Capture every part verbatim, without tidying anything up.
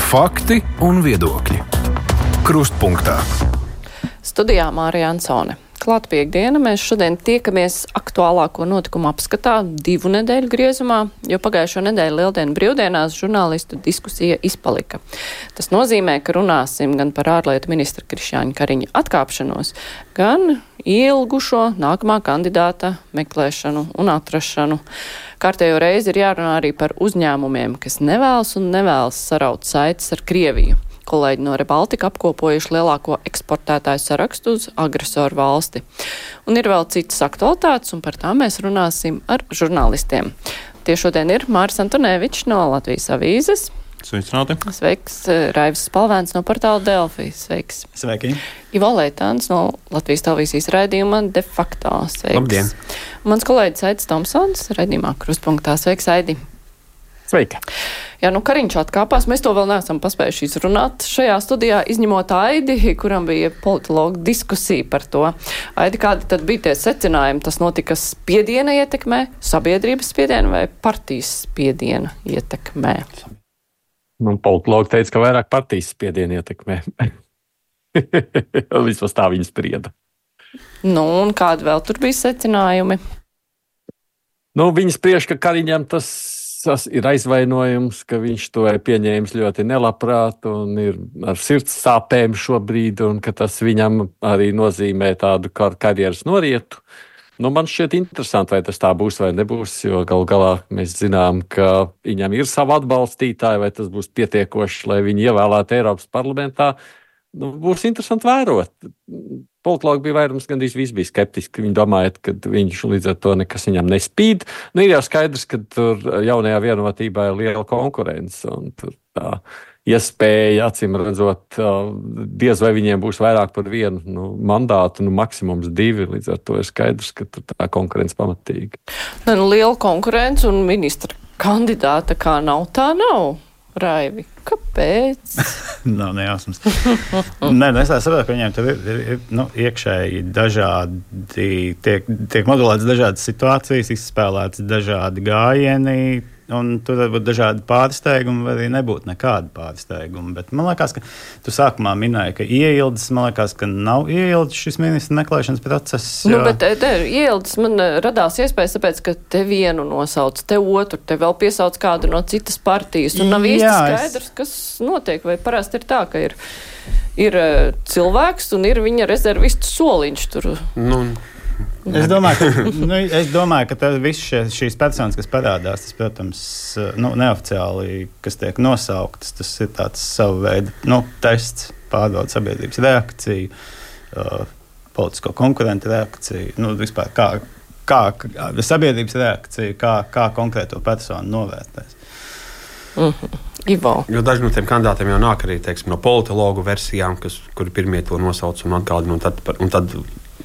Fakti un viedokļi. Krustpunktā. Studijā Mārija Ansone. Klāt piekdiena, mēs šodien tiekamies aktuālāko notikumu apskatā divu nedēļu griezumā, jo pagājušo nedēļu lieldienu brīvdienās žurnālistu diskusija izpalika. Tas nozīmē, ka runāsim gan par ārlietu ministra Krišjāņa Kariņa atkāpšanos, gan ielgušo nākamā kandidāta meklēšanu un atrašanu. Kārtējo reizi ir jārunā arī par uzņēmumiem, kas nevēlas un nevēlas saraut saites ar Krieviju. Kolēģi no Rebaltika apkopojuši lielāko eksportētāju sarakstu uz agresoru valsti. Un ir vēl citas aktualitātes, un par tām mēs runāsim ar žurnālistiem. Tie šodien ir Māris Antonevičs no Latvijas avīzes. Sveicināti. Sveiks, Raivis Spalvēns no portāla Delfi. Sveiks. Sveiki. Ivo Leitāns no Latvijas televīzijas raidījuma De facto. Sveiks. Labdien. Mans kolēģis Aidis Tomsons raidījumā Krustpunktā. Sveiks, Aidi. Sveiki. Jā, nu Kariņš atkāpās, mēs to vēl neesam paspējuši izrunāt šajā studijā, izņemot Aidi, kuram bija politologa diskusija par to. Aidi, kādi tad bija tie secinājumi? Tas notika spiediena ietekmē, sabiedrības spiediena vai partijas spiediena ietekmē? Nu, politologi teica, ka vairāk partijas spiediena ietekmē. Vismaz tā viņi sprieda. Nu, un kādi vēl tur bija secinājumi? Nu, viņi spriež, ka Kariņam tas Tas ir aizvainojums, ka viņš to ir pieņēmis ļoti nelabprāt un ir ar sirds sāpēm šobrīd, un ka tas viņam arī nozīmē tādu kar karjeras norietu. Nu, man šķiet interesanti, vai tas tā būs vai nebūs, jo gal galā mēs zinām, ka viņam ir savi atbalstītāji, vai tas būs pietiekoši, lai viņi ievēlētu Eiropas parlamentā. Nu, būs interesanti vērot. Politologi bija vairums, gandrīz viss bija skeptiski. Viņi domāja, ka viņš līdz ar to nekas viņam nespīd. Nu, ir jau skaidrs, ka tur jaunajā vienotībā ir liela konkurence. Un tur tā iespēja, acīm redzot, diez vai viņiem būs vairāk par vienu nu, mandātu, nu, maksimums divi. Līdz ar to ir skaidrs, ka tur tā konkurence pamatīga. Ne, nu, liela konkurence un ministra kandidāta kā nav, tā nav. Raivi, kāpēc? Nav nejausmas. Nē, es saprotu, ka viņiem tur ir, ir, ir nu, iekšēji dažādi, tiek, tiek modulētas dažādas situācijas, izspēlētas dažādi gājieni, un tur var būt dažādi pārsteigumi, vai arī nebūtu nekādi pārsteigumi. Bet man liekas, ka tu sākumā minēji, ka ieildes, man liekas, ka nav ieildes šis ministra meklēšanas process. Jo... Nu, bet te ieildes man radās iespējas, tāpēc, ka te vienu nosauc, te otru, te vēl piesauc kādu no citas partijas, un nav īsti skaidrs, kas notiek, vai parasti ir tā, ka ir, ir cilvēks un ir viņa rezervistu soliņš tur. Nu... Es domāju, ka, nu, es domāju, ka viss šie, šīs personas, kas parādās, tas, protams, nu, neoficiāli, kas tiek nosauktas, tas ir tāds savu veidu nu, tests, pārbauda sabiedrības reakciju, uh, politisko konkurentu reakciju, nu, vispār kā, kā sabiedrības reakciju, kā, kā konkrēto personu novērtēs. Mm-hmm. Ivo. Jo daži no tiem kandidātiem jau nāk arī, teiksim, no politologu versijām, kas, kuri pirmie to nosauc un atgādina, un tad, un tad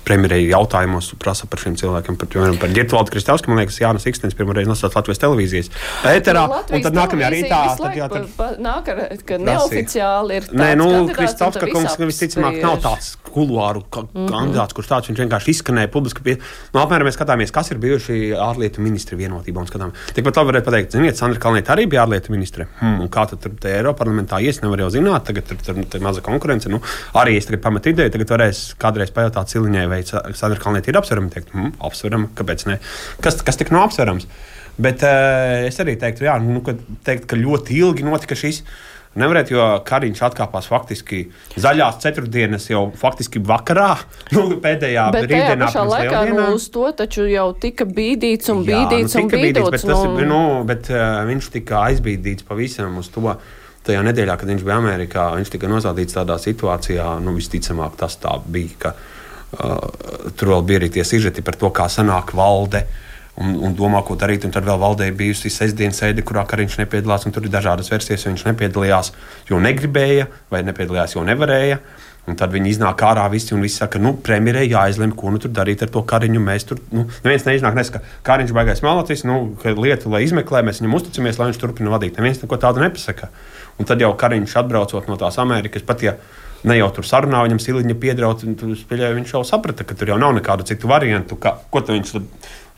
premjerei jautājumos prasa par šiem cilvēkiem, par, piemēram, par Girtvaldu Kristausku, man liekas, Jānis Ikstens pirmoreiz nosauc Latvijas televīzijas ēterā, un tad nākamajā rītā... Tad, jā, tad, pa, nāk ar, ka neoficiāli ir tāds Nē, nu, kandidāts, Kristauska kungs visticamāk nav tāds kuluāru ka, mm-hmm. kandidāts, kurš tāds viņš vienkārši izskanēja publiski. Pie, nu, apmēram mēs skatāmies, kas ir bijuši ārlietu ministri vienotībā un skatām. Tikpat labi varētu pateikt, ziniet, Sandra Kalniete arī bija ārlietu ministre. Hmm, un kā tad tur te Eiroparlamentā ies, nevar jau zināt, tagad tur, tur, tur maza konkurence. Nu, arī es tagad pametu ideju, tagad varēs kādreiz pajautāt Ciliņai, vai Sandra Kalniete ir apsverama, teikt, hm, apsverama, kāpēc ne? Kas, kas tik nav apsverams? Bet uh, es arī teiktu, jā, nu, ka, teikt, ka ļoti ilgi notika šis. Nevarētu, jo Kariņš atkāpās faktiski zaļās ceturtdienas jau faktiski vakarā, nu, pēdējā bet brīvdienā. Bet tajā pašā laikā, nu, uz to taču jau tika bīdīts un jā, bīdīts nu, un bīdīts. Bet, tas, nu... nu, bet uh, viņš tika aizbīdīts pavisam uz to tajā nedēļā, kad viņš bija Amerikā. Viņš tika nosādīts tādā situācijā, nu, visticamāk tas tā bija, ka uh, tur vēl bija arī tie sižeti par to, kā sanāk valde. Un, un domā, ko darīt, un tad vēl valdē bijusi sestdienas sēde, kurā Kariņš nepiedalās, un tur ir dažādas versijas, jo viņš nepiedalījās, jo negribēja, vai nepiedalījās, jo nevarēja. Un tad viņi iznāk ārā visi, un visi saka, nu, premjerei jāizlem, ko nu tur darīt ar to Kariņu. Mēs tur, nu, neviens neiznāk nesaka, ka Kariņš baigais malotis, nu, ka lietu, lai izmeklē, mēs viņam uzticamies, lai viņš turpina vadīt. Neviens neko tādu nepasaka. Un tad jau Kariņš atbraucot no tās Amerikas, pat ja ne jau tur sarunā, viņam Siliņa piedraut, un tur, pieļauju, viņš jau saprata, ka tur jau nav nekādu citu variantu, ka, ko tu viņš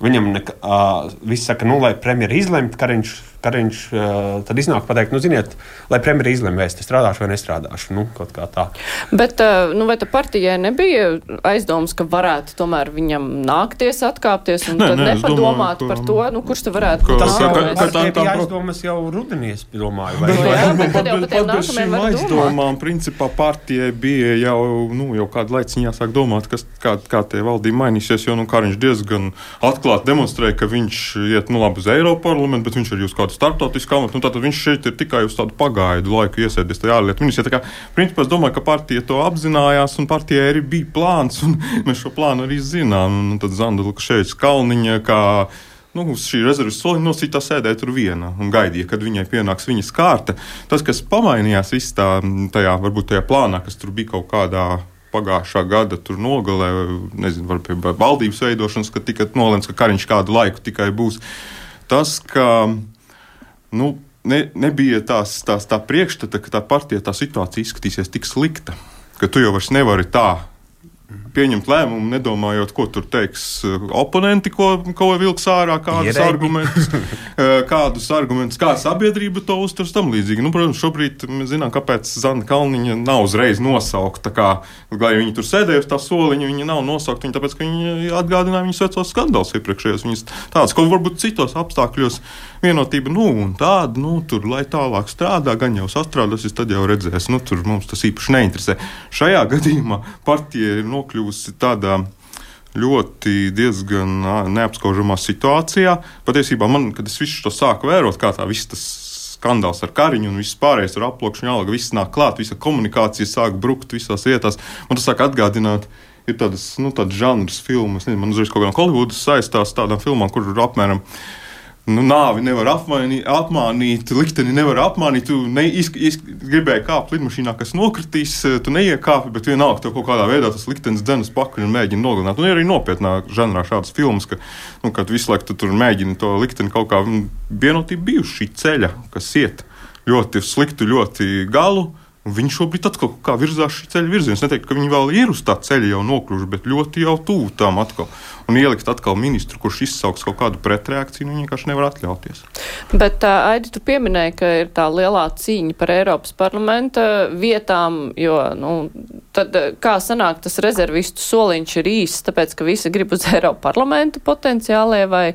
viņam ne, uh, viss saka, nu, lai premjeri izlemt, Kariņš, Kariņš uh, tad iznāk pateikt, nu, ziniet, lai premjeri izlem, vai es te strādāšu vai nestrādāšu, nu, kaut kā tā. Bet, uh, nu, vai ta partijai nebija aizdomas, ka varētu tomēr viņam nākties atkāpties un ne, tad ne, nepadomāt domāju, par to, nu, kurš te varētu būt tas nākamais? Tas jau bija aizdomas jau rudenī, es domāju. Vai, bet, vai, jā, bet tad jau par tiem nākamajiem var domāt. Principā partijai bija jau, nu, jau kādu laiciņu jāsāk domāt, kas, kā, kā tie valdība mainīsies, jo, nu, Kariņš diezgan atklāti demonstrēja, ka viņš iet, nu, labi uz Eiroparlamentu, bet viņš arī uz kādu starptautisku amatu, nu, tātad viņš šeit ir tikai uz tādu pagaidu laiku iesēdies tajā ārlietu ministrijā. Tā kā, principā, es domāju, ka partija to apzinājās, un partijai arī bija plāns, un mēs šo plānu arī zinām. Un tad Zanda Lukaševiča Kalniņa, kā, nu, uz šī rezerves soliņa nosītā sēdēja tur viena un gaidīja, kad viņai pienāks viņas kārta. Tas, kas pamainījās viss tā, tajā, varbūt tajā plānā, kas tur bija kaut kādā pagājušā gada tur nogalē, nezinu, var pie valdības veidošanas, kad tika nolēmts, ka Kariņš kādu laiku tikai būs. Tas, ka nu, ne, nebija tās, tās tā priekšstata, ka tā partija tā situācija izskatīsies tik slikta, ka tu jau vairs nevari tā pieņemt lēmumu, nedomājot, ko tur teiks oponenti, ko, ko vilks ārā, kādus argumentus, kādus argumentus, kā sabiedrība to uzturs tam līdzīgi. Nu, protams, šobrīd mēs zinām, kāpēc Zanda Kalniņa nav uzreiz nosaukta, kā, lai viņi tur sēdēja uz tā soliņa, viņa nav nosaukta, viņa tāpēc, ka viņa atgādināja viņas vecos skandāls iepriekšējos, viņas tādas, ko varbūt citos apstākļos vienotība, nu, un tāda, nu, tur, lai tālāk strādā, gan jau sastrādāsies, tad jau redzēs, nu, tur mums tas īpaši neinteresē. Šajā gadījumā partija ir nokļuvusi tādā ļoti diezgan neapskaužamā situācijā. Patiesībā man, kad es visu to sāku vērot, kā tā viss tas skandāls ar Kariņu un viss pārējais ar aploksņu, alga, viss nāk klāt, visa komunikācija sāk brukt visās vietās. Man tas sāk atgādināt, ir tādas, nu, tādas žanras filmas, nezinu, man uzreiz kaut kā no Holivudas saistās tādām filmām, kur ir apmēram Nu, nāvi nevar apmainīt, apmānīt, likteni nevar apmānīt. Tu ne, iz, iz, gribēji kāpt lidmašīnā, kas nokritīs, tu neiekāpi, bet vienalga tev kaut kādā veidā tas liktenis dzenas pakaļ un mēģina nogalināt. Un ir arī nopietnā žanrā šādas filmas, ka, nu, kad visu laiku tu tur mēģini to likteni kaut kā vienotība bijuši šī ceļa, kas iet ļoti sliktu, ļoti galu. Viņi šobrīd atkal kā virzās šī ceļa virziens. Es neteiktu, ka viņi vēl ir uz tā ceļa jau nokļuvuši, bet ļoti jau tuvu tām atkal. Un ielikt atkal ministru, kurš izsauks kaut kādu pretreakciju, viņi vienkārši nevar atļauties. Bet, uh, Aidi, tu pieminēji, ka ir tā lielā cīņa par Eiropas parlamenta vietām, jo, nu, tad kā sanāk, tas rezervistu soliņš ir īsts, tāpēc, ka visi grib uz Eiropas parlamentu potenciālie, vai,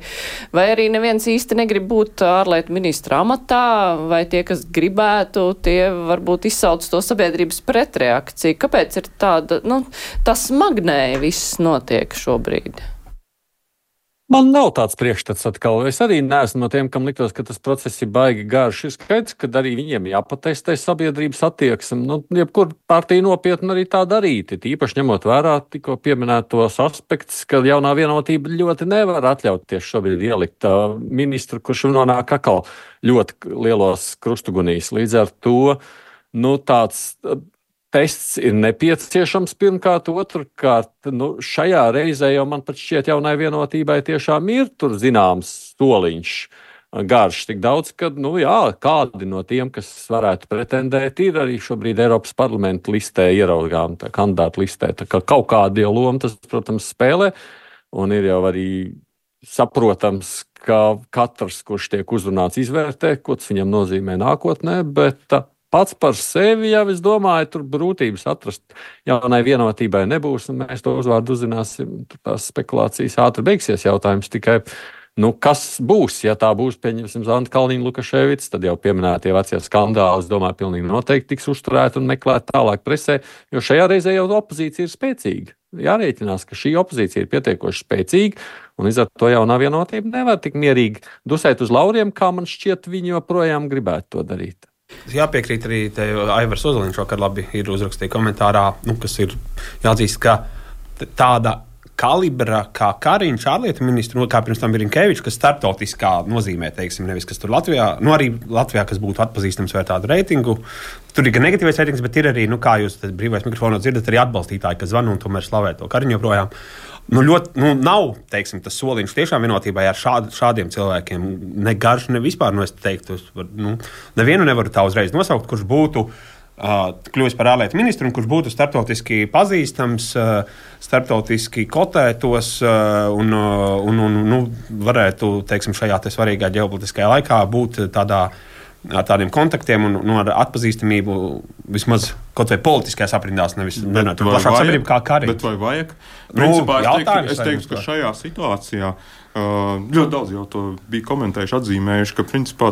vai arī neviens īsti negrib būt ārlietu ministra amatā, vai tie, kas gribētu, tie varbūt izsauc to sabiedrības pretreakciju. Kāpēc ir tāda, nu, tas smagnēji viss notiek šobrīd? Man nav tāds priekšstats atkal. Es arī neesmu no tiem, kam liktos, ka tas process ir baigi garš. Ir skaidrs, ka arī viņiem jāpatestē sabiedrības attieksme. Nu, jebkur partija nopietni arī tā darīt. Īpaši ņemot vērā tikko pieminētos aspektus, ka jaunā vienotība ļoti nevar atļauties šobrīd ielikt uh, ministru, kurš nonāk atkal ļoti lielos krustugunīs. Līdz ar to, nu, tāds uh, tests ir nepieciešams pirmkārt, otrkārt, nu, šajā reizē jau man pat šķiet jaunai vienotībai tiešām ir tur zināms soliņš garš tik daudz, ka, nu jā, kādi no tiem, kas varētu pretendēt, ir arī šobrīd Eiropas parlamenta listē ieraugām, tā kandidātu listē, tā kā kaut kādi jau loma tas, protams, spēlē, un ir jau arī saprotams, ka katrs, kurš tiek uzrunāts, izvērtē, ko tas viņam nozīmē nākotnē, bet pats par sevi jau, es domāju, tur brūtības atrast jaunai vienotībai nebūs, un mēs to uzvārdu uzzināsim. Tās spekulācijas ātri beigsies jautājums tikai, nu, kas būs, ja tā būs, pieņemsim, Zanda Kalniņa Lukaševics, tad jau pieminētie vecie skandāli, es domāju, pilnīgi noteikti tiks uzturēti un meklēt tālāk presē, jo šajā reizē jau opozīcija ir spēcīga. Jārēķinās, ka šī opozīcija ir pietiekoši spēcīga, un līdz ar to jaunā vienotība nevar tik mierīgi dusēt uz lauriem, kā man šķiet, viņi joprojām gribētu to darīt. Jāpiekrīt arī te Aivars Ozoliņš šokar labi ir uzrakstījis komentārā, nu, kas ir jāatzīst, ka tāda kalibra kā Kariņš ārlietu ministru, kā pirms tam Birinkevičs, kas starptautiskā nozīmē, teiksim, nevis kas tur Latvijā, nu arī Latvijā, kas būtu atpazīstams vai tādu reitingu. Tur ir gan negatīvais reitings, bet ir arī, nu, kā jūs brīvais mikrofonā dzirdat, arī atbalstītāji, kas zvana un tomēr slavē to Kariņu joprojām. Nu, ļoti, nu, nav, teiksim, tas soliņš tiešām vienotībai ar šād, šādiem cilvēkiem. Ne garš, ne vispār, nu, es teiktu, var, nu, nevienu nevaru tā uzreiz nosaukt, kurš būtu uh, kļuvis par ārlietu ministru, un kurš būtu starptautiski pazīstams, uh, starptautiski kotētos uh, un, uh, un, un nu, varētu, teiksim, šajā te svarīgā ģeopolitiskajā laikā būt tādā ar tādiem kontaktiem un nu, ar atpazīstamību vismaz kaut vai politiskajās aprindās, nevis plašāk sabiedrība kā karī. Bet vai vajag? Nu, Principā, es teiktu, jautājums, es teiktu ka šajā situācijā uh, ļoti daudz jau to bija komentējuši, atzīmējuši, ka principā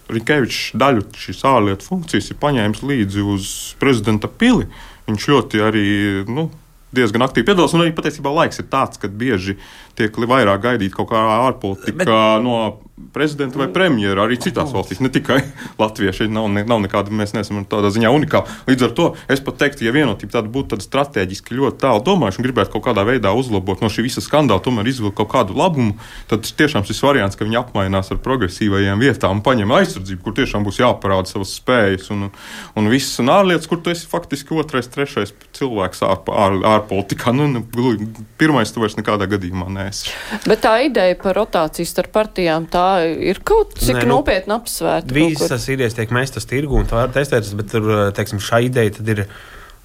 Rinkevičs daļu šīs ārlietu funkcijas ir paņēmis līdzi uz prezidenta pili. Viņš ļoti arī, nu, diezgan aktīvi piedalās, un arī patiesībā laiks ir tāds, kad bieži tiek vairāk gaidīt kaut kā ārpolitika Bet... no prezidenta vai premjera, arī citās valstīs, ne tikai Latvijā. Šeit nav, ne, nav nekāda, mēs neesam tādā ziņā unikāli. Līdz ar to es pat teiktu, ja vienotība tāda būtu tāda strateģiski ļoti tālu domājuši un gribētu kaut kādā veidā uzlabot no šī visa skandāla, tomēr izvilkt kaut kādu labumu, tad tiešām šis variants, ka viņi apmainās ar progresīvajām vietām un paņem aizsardzību, kur tiešām būs jāparāda savas spējas un, un viss un ārlietas, kur tu esi faktiski otrais, trešais cilvēks ār, ār, ārpolitikā. Nu, pirmais tu vairs nekādā gadījumā neesi. Bet tā ideja par rotāciju starp partijām, tā ir kaut cik Nē, nu, nopietni apsvērta. Visas idejas tiek mestas tirgu un tā var testētas, bet tur, teiksim, šā ideja tad ir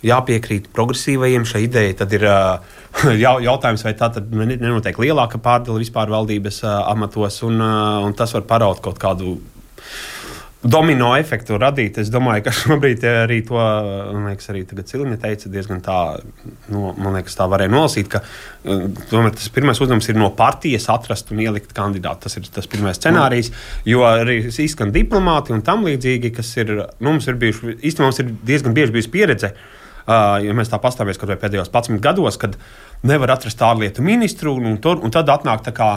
jāpiekrīt progresīvajiem. Šā ideja tad ir jautājums, vai tā tad nenotiek lielāka pārdala vispār valdības amatos, un, un tas var paraut kaut kādu domino efektu radīt. Es domāju, ka šobrīd arī to, man liekas, arī tagad Cilņa teica diezgan tā, nu, man liekas, tā varēja nolasīt, ka tomēr tas pirmais uzdevums ir no partijas atrast un ielikt kandidātu. Tas ir tas pirmais scenārijs, jo arī izskan diplomāti un tam līdzīgi, kas ir, nu, mums ir bijuši, īstenībā mums ir diezgan bieži bijusi pieredze, uh, ja mēs tā pastāvies kaut vai pēdējos padsmit gados, kad nevar atrast ārlietu ministru, un, un, un tad atnāk tā kā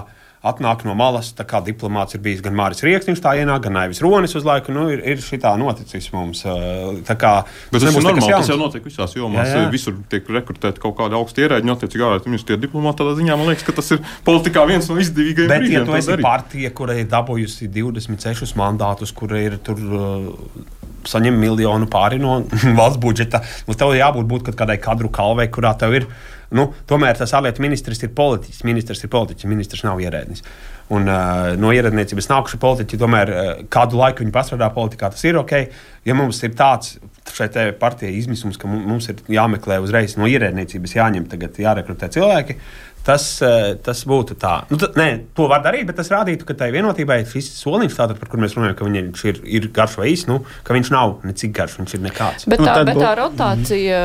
atnāk no malas, tā kā diplomāts ir bijis gan Māris Rieksniņš tā ienāk, gan Aivis Ronis uz laiku, nu, ir, ir šitā noticis mums. Tā kā, bet tas ir normāli, tas jau notiek visās jomās. Jā, jā. Visur tiek rekrutēti kaut kādi augsti ierēģi, attiecīgi ārlietu ministri, tie diplomāti tādā ziņā, man liekas, ka tas ir politikā viens no izdevīgajiem bet, brīdiem. Bet, ja tu esi darīt. Partija, kura ir dabūjusi divdesmit sešus mandātus, kura ir tur uh, saņem miljonu pāri no valsts budžeta, nu, tev jābūt būt kaut kādai kadru kalvei, kurā tev ir. Nu, tomēr tas ārlietu ministrs ir politiķis. Ministrs ir politiķis, ministrs nav ierēdnis. Un uh, no ierēdniecības nākuši politiķi, tomēr uh, kādu laiku viņi pastrādā politikā, tas ir ok. Ja mums ir tāds šeit partijai izmisums, ka mums ir jāmeklē uzreiz no ierēdniecības jāņem tagad jārekrutē cilvēki, tas, tas būtu tā. Nu, t- nē, to var darīt, bet tas rādītu, ka tai vienotībai šis soliņš, tātad, par kur mēs runājam, ka viņš ir, ir garš vai īs, nu, ka viņš nav necik garš, viņš ir nekāds. Bet tā, nu, bet tā rotācija,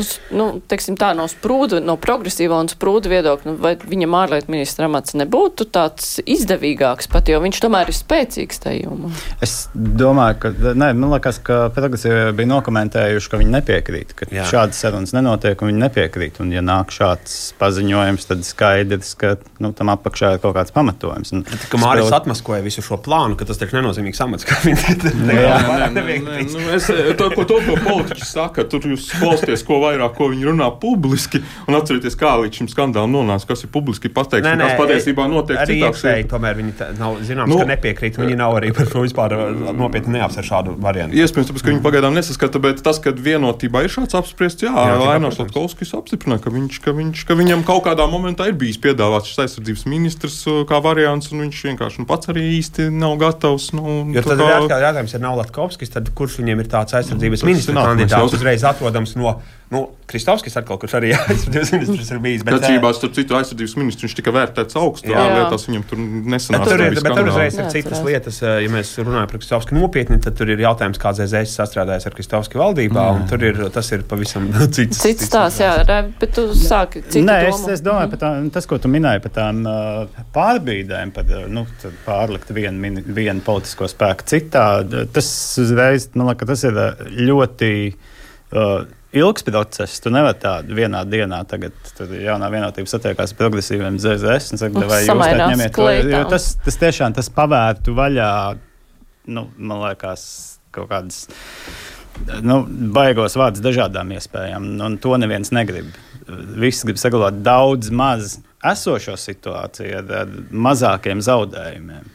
uz, nu, teiksim tā, no sprūdu, no progresīva un sprūdu viedokļa, nu, vai viņam ārlietu ministra amats nebūtu tāds izdevīgāks pat, jo viņš tomēr ir spēcīgs tajumā? Es domāju, ka, nē, man liekas, ka progresīvi bija nokomentējuši, ka viņi nepiekrīt, ka Jā. šādas sarunas nenotiek un viņi nepiekrīt. Un ja nāk šāds paziņojums, tad skaidrs, ka nu, tam apakšā ir kaut kāds pamatojums. Un, bet, ka Māris spēl... atmaskoja visu šo plānu, ka tas taču nenozīmīgs amats, ka viņi te nevieglīs. To, ko to, ko politiķi saka, tur jūs klausties, ko vairāk, ko viņi runā publiski, un atcerieties, kā līdz šim skandālam nonāca, kas ir publiski pateikts, un kas patiesībā notiek arī citās. Arī iekšēji, tomēr viņi tā, nav zināms, nu, ka nepiekrīt, viņi nav arī par šo vispār nopietni neapsver šādu variantu. Iespējams, tāpēc, ka viņi pagaidām nesaskata, bet tas, kad vienotībā ir šāds apspriests, jā, Ainārs Latkovskis apstiprināja, ka, viņš, ka, viņš, ka viņam kaut kādā momentā ir bijis piedāvāts šis aizsardzības ministrs kā variants, un viņš vienkārši nu, pats arī īsti nav gatavs. Nu, jo tad kā... ir jautājums, ja nav Latkovskis, tad kurš viņiem ir tāds aizsardzības nu, ministra kandidāts uzreiz atrodams no nu, Kristovskis atkal, kurš arī aizsardzības ministrs ir bijis. Bet atšķirībā starp citu aizsardzības ministru viņš tika vērtēts augstu lietās, viņam tur nesanāca. Tur ir, bet tur uzreiz ir citas lietas. Ja mēs runājam par Kristovski nopietni, tad tur ir jautājums, kā Z Z S sastrādājas ar Kristovski valdībā, mm. un tur ir, tas ir pavisam cits. Cits tās, jā, bet tu sāki citu Nē, domu. Es, es domāju par tām, tas, ko tu minēji par tām uh, pārbīdēm, par nu, pārlikt vienu, vienu politisko spēku citā, tas uzreiz, man liekas, tas ir ļoti uh, ilgs process. Tu nevari tādu vienā dienā tagad jaunā vienotība satiekās ar progresīviem Z Z S un saka, vai jūs tā ņemiet to, jo tas, tas tiešām tas pavērtu vaļā, nu, man liekas, kaut kādas nu, baigos vārdus dažādām iespējām, un to neviens negrib. Visi grib saglabāt daudz maz esošo situāciju ar, ar mazākiem zaudējumiem.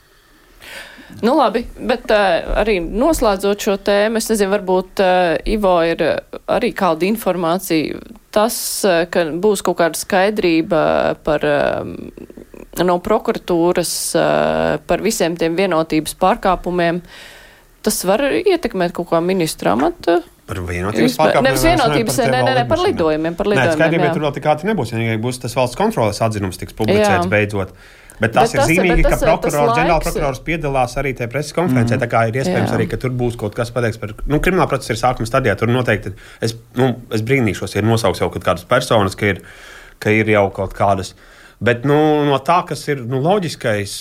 Nu labi, bet uh, arī noslēdzot šo tēmu, es nezinu, varbūt uh, Ivo ir arī kāda informācija. Tas, uh, ka būs kaut kāda skaidrība par, uh, no prokuratūras uh, par visiem tiem vienotības pārkāpumiem, tas var ietekmēt kaut kā ministra amata Par vienotības pārkāpumiem. Nevis vienotības, ne, ne, ne, par lidojumiem. Par lidojumiem, Nē, skaidrība, jā. tur vēl tik ātri nebūs, ja būs tas valsts kontroles atzinums tiks publicēts Jā. beidzot. Bet tas Bet ir tas- zīmīgi, bet ka tas- prokurors, tas ģenerāla laiks- prokurors piedalās arī tajā preses konferencē. Mm. Tā kā ir iespējams Jā. arī, ka tur būs kaut kas pateikts par. Nu, krimināla procesa ir sākuma stadijā. Tur noteikti es, nu, es brīnīšos, ja nosauks jau kaut kādas personas, ka ir, ka ir jau kaut kādas. Bet nu, no tā, kas ir nu, loģiskais,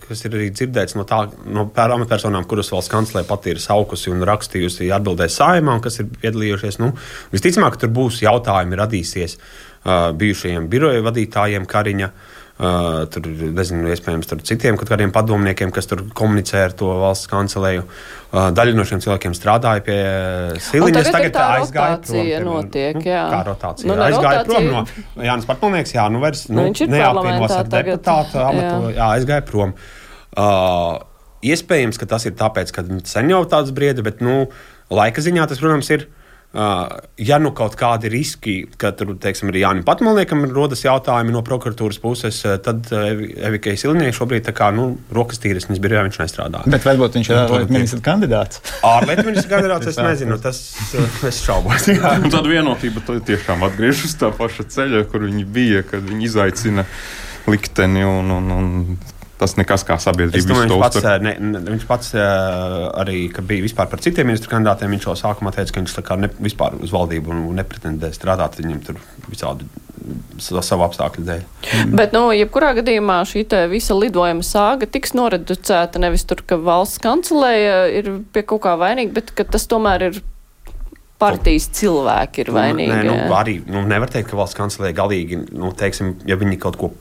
kas ir arī dzirdēts no, tā, no amatpersonām, kuras valsts kanclere pati ir saukusi un rakstījusi, atbildēs Saeimā, un kas ir piedalījušies, nu, visticamāk, ka tur būs jautājumi radīsies uh, bijušajiem biroja vadītājiem Kariņa. Uh, tur, nezinu, iespējams, tur citiem kaut kādiem padomniekiem, kas tur komunicē ar to valsts kancelēju. Uh, daļa no šiem cilvēkiem strādāja pie Siliņas. Tagad, tagad tā aizgāja rotācija prom. notiek, nu, jā. Kā rotācija? Nu, Nu, ne aizgāja rotācija. prom no Jānis Patmalnieks, jā, nu vairs Nu, nu, viņš ir neapvienos parlamentā ar tagad, deputātu amatu, jā. jā, aizgāja prom. Uh, iespējams, ka tas ir tāpēc, ka sen jau tāds brieda, bet, nu, laika ziņā tas, protams, ir. Uh, ja nu kaut kādi riski, ka tur, teiksim, arī Jānim Patmalniekam rodas jautājumi no prokuratūras puses, tad uh, Evikai Siliņai šobrīd tā kā, nu, rokas tīras, viņas birojā viņš nestrādā. Bet varbūt viņš ir ārlietu ministra kandidāts. Ārlietu ministra kandidāts, es nezinu, tas uh, es šaubos. Un tad vienotība tiešām atgriežas uz tā paša ceļa, kur viņi bija, kad viņi izaicina likteni un, un, un tas nekas kā sabiedrība. Es domāju, viņš pats, ne, ne, viņš pats arī, kad bija vispār par citiem ministru kandidātiem, viņš jau sākumā teica, ka viņš tā kā ne, vispār uz valdību un nepretendē strādāt, viņam tur visādi savu apstākļu dēļ. Mm. Bet, nu, jebkurā gadījumā šī te visa lidojuma sāga tiks noreducēta nevis tur, ka valsts kancelēja ir pie kaut kā vainīga, bet ka tas tomēr ir partijas cilvēki ir vainīgi. Nē, nu, arī nu, nevar teikt, ka valsts kancelēja galīgi, nu, teiksim, ja viņi kaut ko.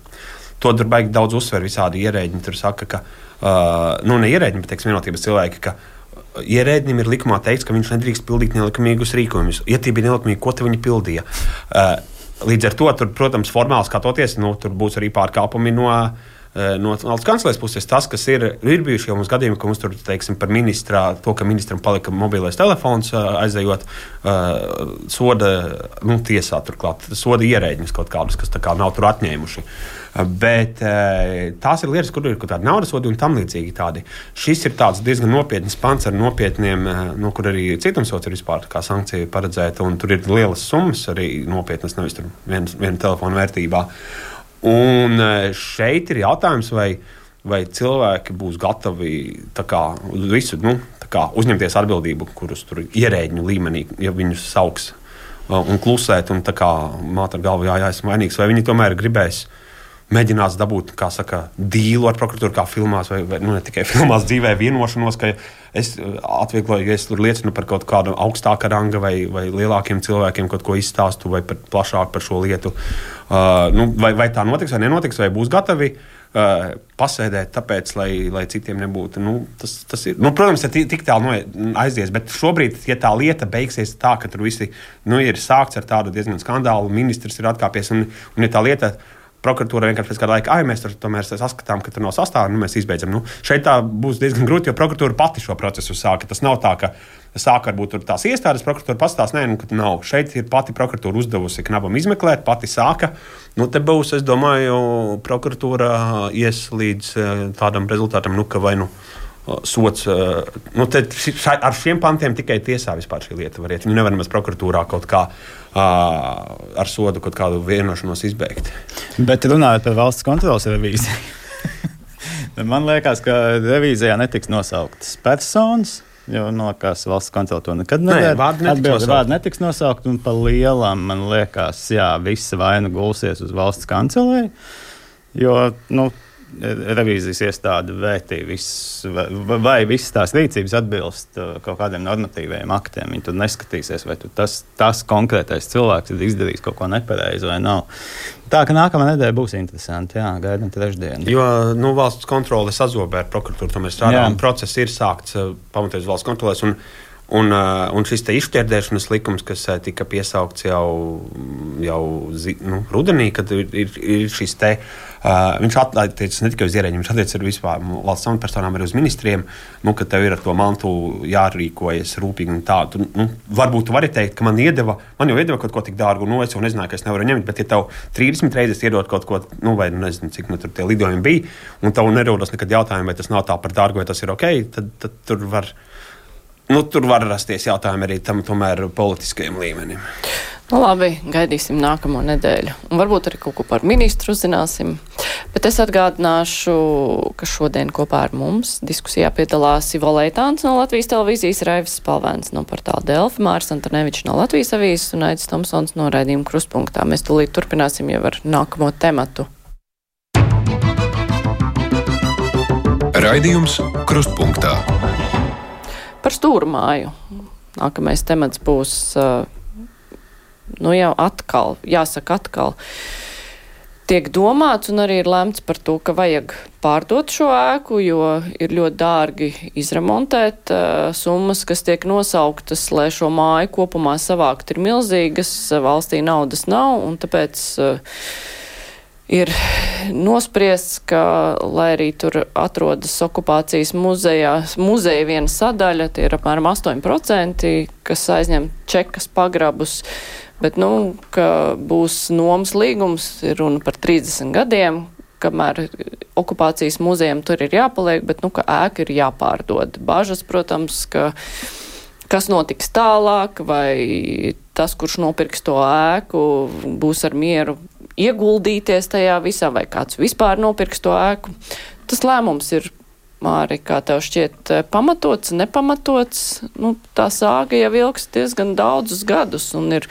To tur baigi daudz uzsver visādi ierēģi. Tur saka, ka, uh, nu, ne ierēģi, bet, teiksim, vienotības cilvēki, ka ierēģim ir likumā teikts, ka viņš nedrīkst pildīt nelikumīgus rīkojumus. Ja tie bija nelikumīgi, ko te viņi pildīja? Uh, līdz ar to, tur, protams, formāli skatoties, nu, tur būs arī pārkāpumi no, uh, no valsts kancelēs puses. Tas, kas ir, ir bijuši jau mums gadījumi, ka mums tur, teiksim, par ministrā, to, ka ministram palika mobilais telefons, uh, aizejot, uh, soda, nu, tiesā turklāt, soda ierēģiņus kaut kādus, kas tā kā nav tur atņēmuši. Bet tās ir lietas, kur ir kaut kāda naudas sodi un tam līdzīgi tādi. Šis ir tāds diezgan nopietns pants ar nopietniem, no kur arī cietumsods ir vispār kā sankcija paredzēta, un tur ir lielas summas arī nopietnas, nevis tur viena, viena telefona vērtībā. Un šeit ir jautājums, vai, vai cilvēki būs gatavi tā kā visu, nu, tā kā uzņemties atbildību, kurus tur ierēģņu līmenī, ja viņus sauks un klusēt, un tā kā māt ar galvu, jā, jā, esmu vainīgs, vai viņi tomēr gribēs mēģinās dabūt, kā saka, dīlu ar prokuratūru, kā filmās, vai, vai nu, ne tikai filmās, dzīvē vienošanos, ka es atviegloju, ja es tur liecinu par kaut kādu augstāka ranga vai, vai lielākiem cilvēkiem kaut ko izstāstu vai par, plašāk par šo lietu. Uh, nu, vai, vai tā notiks vai nenotiks, vai būs gatavi uh, pasēdēt tāpēc, lai, lai citiem nebūtu. Nu, tas, tas ir, nu, protams, ja tik tālu no, aizies, bet šobrīd, ja tā lieta beigsies tā, ka tur visi nu, ir sākts ar tādu diezgan skandālu, ministrs ir atkāpies, un, un ja tā lieta prokuratūra vienkārši pēc kāda laika, ai, mēs tur tomēr saskatām, ka tur nav sastāvā, nu mēs izbeidzam. Nu, šeit tā būs diezgan grūti, jo prokuratūra pati šo procesu sāka. Tas nav tā, ka sāka varbūt tur tās iestādes, prokuratūra pastāst, nē, nu, ka nav. Šeit ir pati prokuratūra uzdevusi knabam izmeklēt, pati sāka. Nu, te būs, es domāju, prokuratūra ies līdz tādam rezultātam, nu, ka vai nu sots, nu, te ar šiem pantiem tikai tiesā vispār šī lieta var iet. Viņu nevar nemaz prokuratūrā kaut kā ar sodu kaut kādu vienošanos izbeigt. Bet runājot par valsts kontroles revīziju, man liekas, ka revīzijā netiks nosauktas personas, jo noliekas valsts kontrole to nekad nedara. Nē, vārdi netiks nosaukt. Vārdi netiks nosaukt, un pa lielam, man liekas, jā, visa vaina gulsies uz valsts kancelēju, jo, nu, revīzijas iestāde vērtī viss, vai, vai visas tās rīcības atbilst kaut kādiem normatīviem aktiem. Viņi tur neskatīsies, vai tu tas, tas konkrētais cilvēks ir izdarījis kaut ko nepareizi vai nav. Tā, ka nākamā nedēļa būs interesanti, jā, gaidām trešdienu. Jo, nu, valsts kontrole sazobē ar prokuratūru, to mēs strādājam. Process ir sākts pamatoties valsts kontrolēs, un Un, un šis te izšķērdēšanas likums, kas tika piesaukts jau, jau nu, rudenī, kad ir, ir, ir šis te, uh, viņš attiecas ne tikai uz ierēģiem, viņš attiecas arī vispār valsts amatpersonām, arī uz ministriem, nu, ka tev ir ar to mantu jārīkojas rūpīgi un tā. Tu, nu, varbūt tu vari teikt, ka man iedeva, man jau iedeva kaut ko tik dārgu, nu, es jau nezināju, ka es nevaru ņemt, bet ja tev trīsdesmit reizes iedod kaut ko, nu, vai nezinu, cik nu, tur tie lidojumi bija, un tev nerodas nekad jautājumu, vai tas nav tā par dārgu, vai tas ir ok, tad, tad tur var. nu, tur var rasties jautājumi arī tam tomēr politiskajam līmenim. Nu labi, gaidīsim nākamo nedēļu. Un varbūt arī kaut ko par ministru uzzināsim. Bet es atgādināšu, ka šodien kopā ar mums diskusijā piedalās Ivo Leitāns no Latvijas televīzijas, Raivis Spalvēns no portāla Delfi, Māris Antonevičs no Latvijas avīzes un Aidis Tomsons no raidījuma Krustpunktā. Mēs tūlīt turpināsim jau ar nākamo tematu. Raidījums Krustpunktā. Par stūrmāju. Nākamais temats būs, nu jau atkal, jāsaka atkal, tiek domāts un arī ir lemts par to, ka vajag pārdot šo ēku, jo ir ļoti dārgi izremontēt. Summas, kas tiek nosauktas, lai šo māju kopumā savākt, ir milzīgas, valstī naudas nav, un tāpēc ir nospriests, ka, lai arī tur atrodas okupācijas muzejā, muzeja viena sadaļa, tie ir apmēram astoņi procenti, kas aizņem čekas pagrabus, bet, nu, ka būs nomas līgums, ir runa par trīsdesmit gadiem, kamēr okupācijas muzejam tur ir jāpaliek, bet, nu, ka ēka ir jāpārdod. Bažas, protams, ka kas notiks tālāk, vai tas, kurš nopirks to ēku, būs ar mieru ieguldīties tajā visā, vai kāds vispār nopirks to ēku. Tas lēmums ir, Māri, kā tev šķiet, pamatots, nepamatots. Nu, tā sāga jau ilgs diezgan daudzus gadus un ir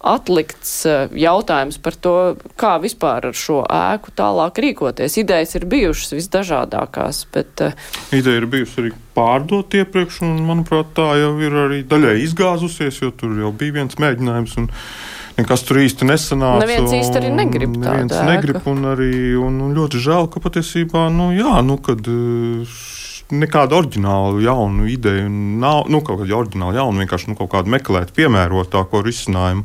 atlikts jautājums par to, kā vispār ar šo ēku tālāk rīkoties. Idejas ir bijušas visdažādākās, bet... Ideja ir bijusi arī pārdot iepriekš, un, manuprāt, tā jau ir arī daļai izgāzusies, jo tur jau bija viens mēģinājums, un nekas tur īsti nesanāca. Neviens īsti arī negrib tādu ēku. Negrib, un arī un, un ļoti žēl, ka patiesībā, nu jā, nu, kad nekāda oriģināla jaunu ideju nav, nu, kaut kāda oriģināla jauna, vienkārši, nu, kaut kādu meklēt piemērotāko risinājumu.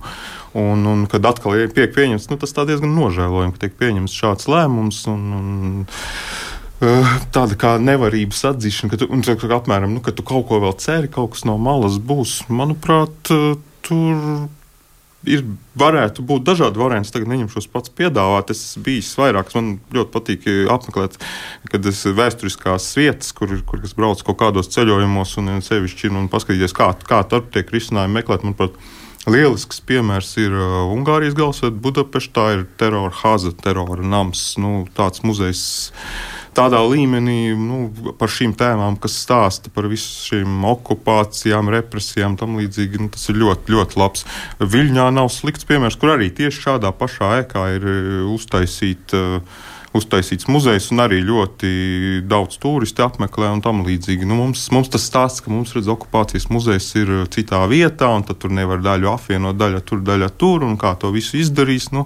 Un, un kad atkal tiek pieņemts, nu, tas tā diezgan nožēlojami, ka tiek pieņemts šāds lēmums, un, un tāda kā nevarības atzīšana, ka tu, un, apmēram, nu, ka tu kaut ko vēl ceri, kaut kas no malas būs, manuprāt, tur ir, varētu būt dažādi varianti. Tagad neņemšos pats piedāvāt. Es biju vairākas, man ļoti patīk apmeklēt, kad es vēsturiskās vietas, kur, kur es braucu kaut kādos ceļojumos un sevišķi un paskatīties, kā, kā tur tiek risinājumi meklēt. Manuprāt, lielisks piemērs ir uh, Ungārijas galvaspilsēta Budapeštā, ir terora haza, terora nams, nu, tāds muzejs tādā līmenī, nu, par šīm tēmām, kas stāsta par visu šīm okupācijām, represijām, tam līdzīgi, nu, tas ir ļoti, ļoti labs. Viļņā nav slikts piemērs, kur arī tieši šādā pašā ēkā ir uztaisīt, uh, uztaisīts muzejs un arī ļoti daudz turisti apmeklē un tam līdzīgi. Nu, mums, mums tas stāsts, ka mums, redz, okupācijas muzejs ir citā vietā un tad tur nevar daļu apvienot, daļa tur, daļa tur un kā to visu izdarīs. Nu,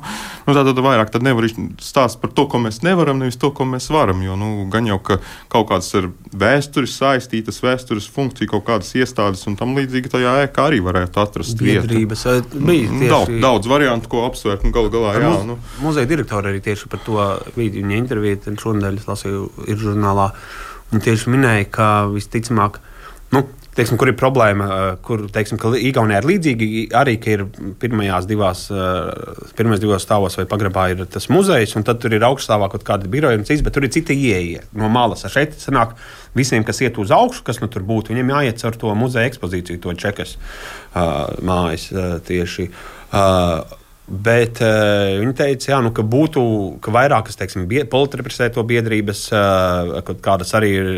nu tā tad vairāk tad nevar stāst par to, ko mēs nevaram, nevis to, ko mēs varam, jo, nu, gan jau, ka kaut kādas ar vēstures saistītas, vēstures funkcija, kaut kādas iestādes un tam līdzīgi tajā ēkā arī varētu atrast Biedrības, vietu. Tieši... Daudz, daudz variantu, ko apsvērt, un galu galā, jā. Nu. Muzeja direktori arī tieši par to bija. Viņa intervija šonadēļ es lasīju ir žurnālā. Viņa tieši minēja, ka visticamāk, nu, teiksim, kur ir problēma, kur, teiksim, ka Igaunijā ir līdzīgi, arī, ka ir pirmajās divās, pirmajās divās stāvos vai pagrabā ir tas muzejs, un tad tur ir augststāvā kaut kāda biroja un cits, bet tur ir cita ieeja no malas. Šeit sanāk visiem, kas iet uz augšu, kas nu tur būtu, viņiem jāiet caur to muzeja ekspozīciju, to čekas uh, mājas uh, tieši. Uh, Bet uh, viņi teica, jā, nu, ka būtu ka vairākas, teiksim, politrepresēto biedrības, uh, kādas arī ir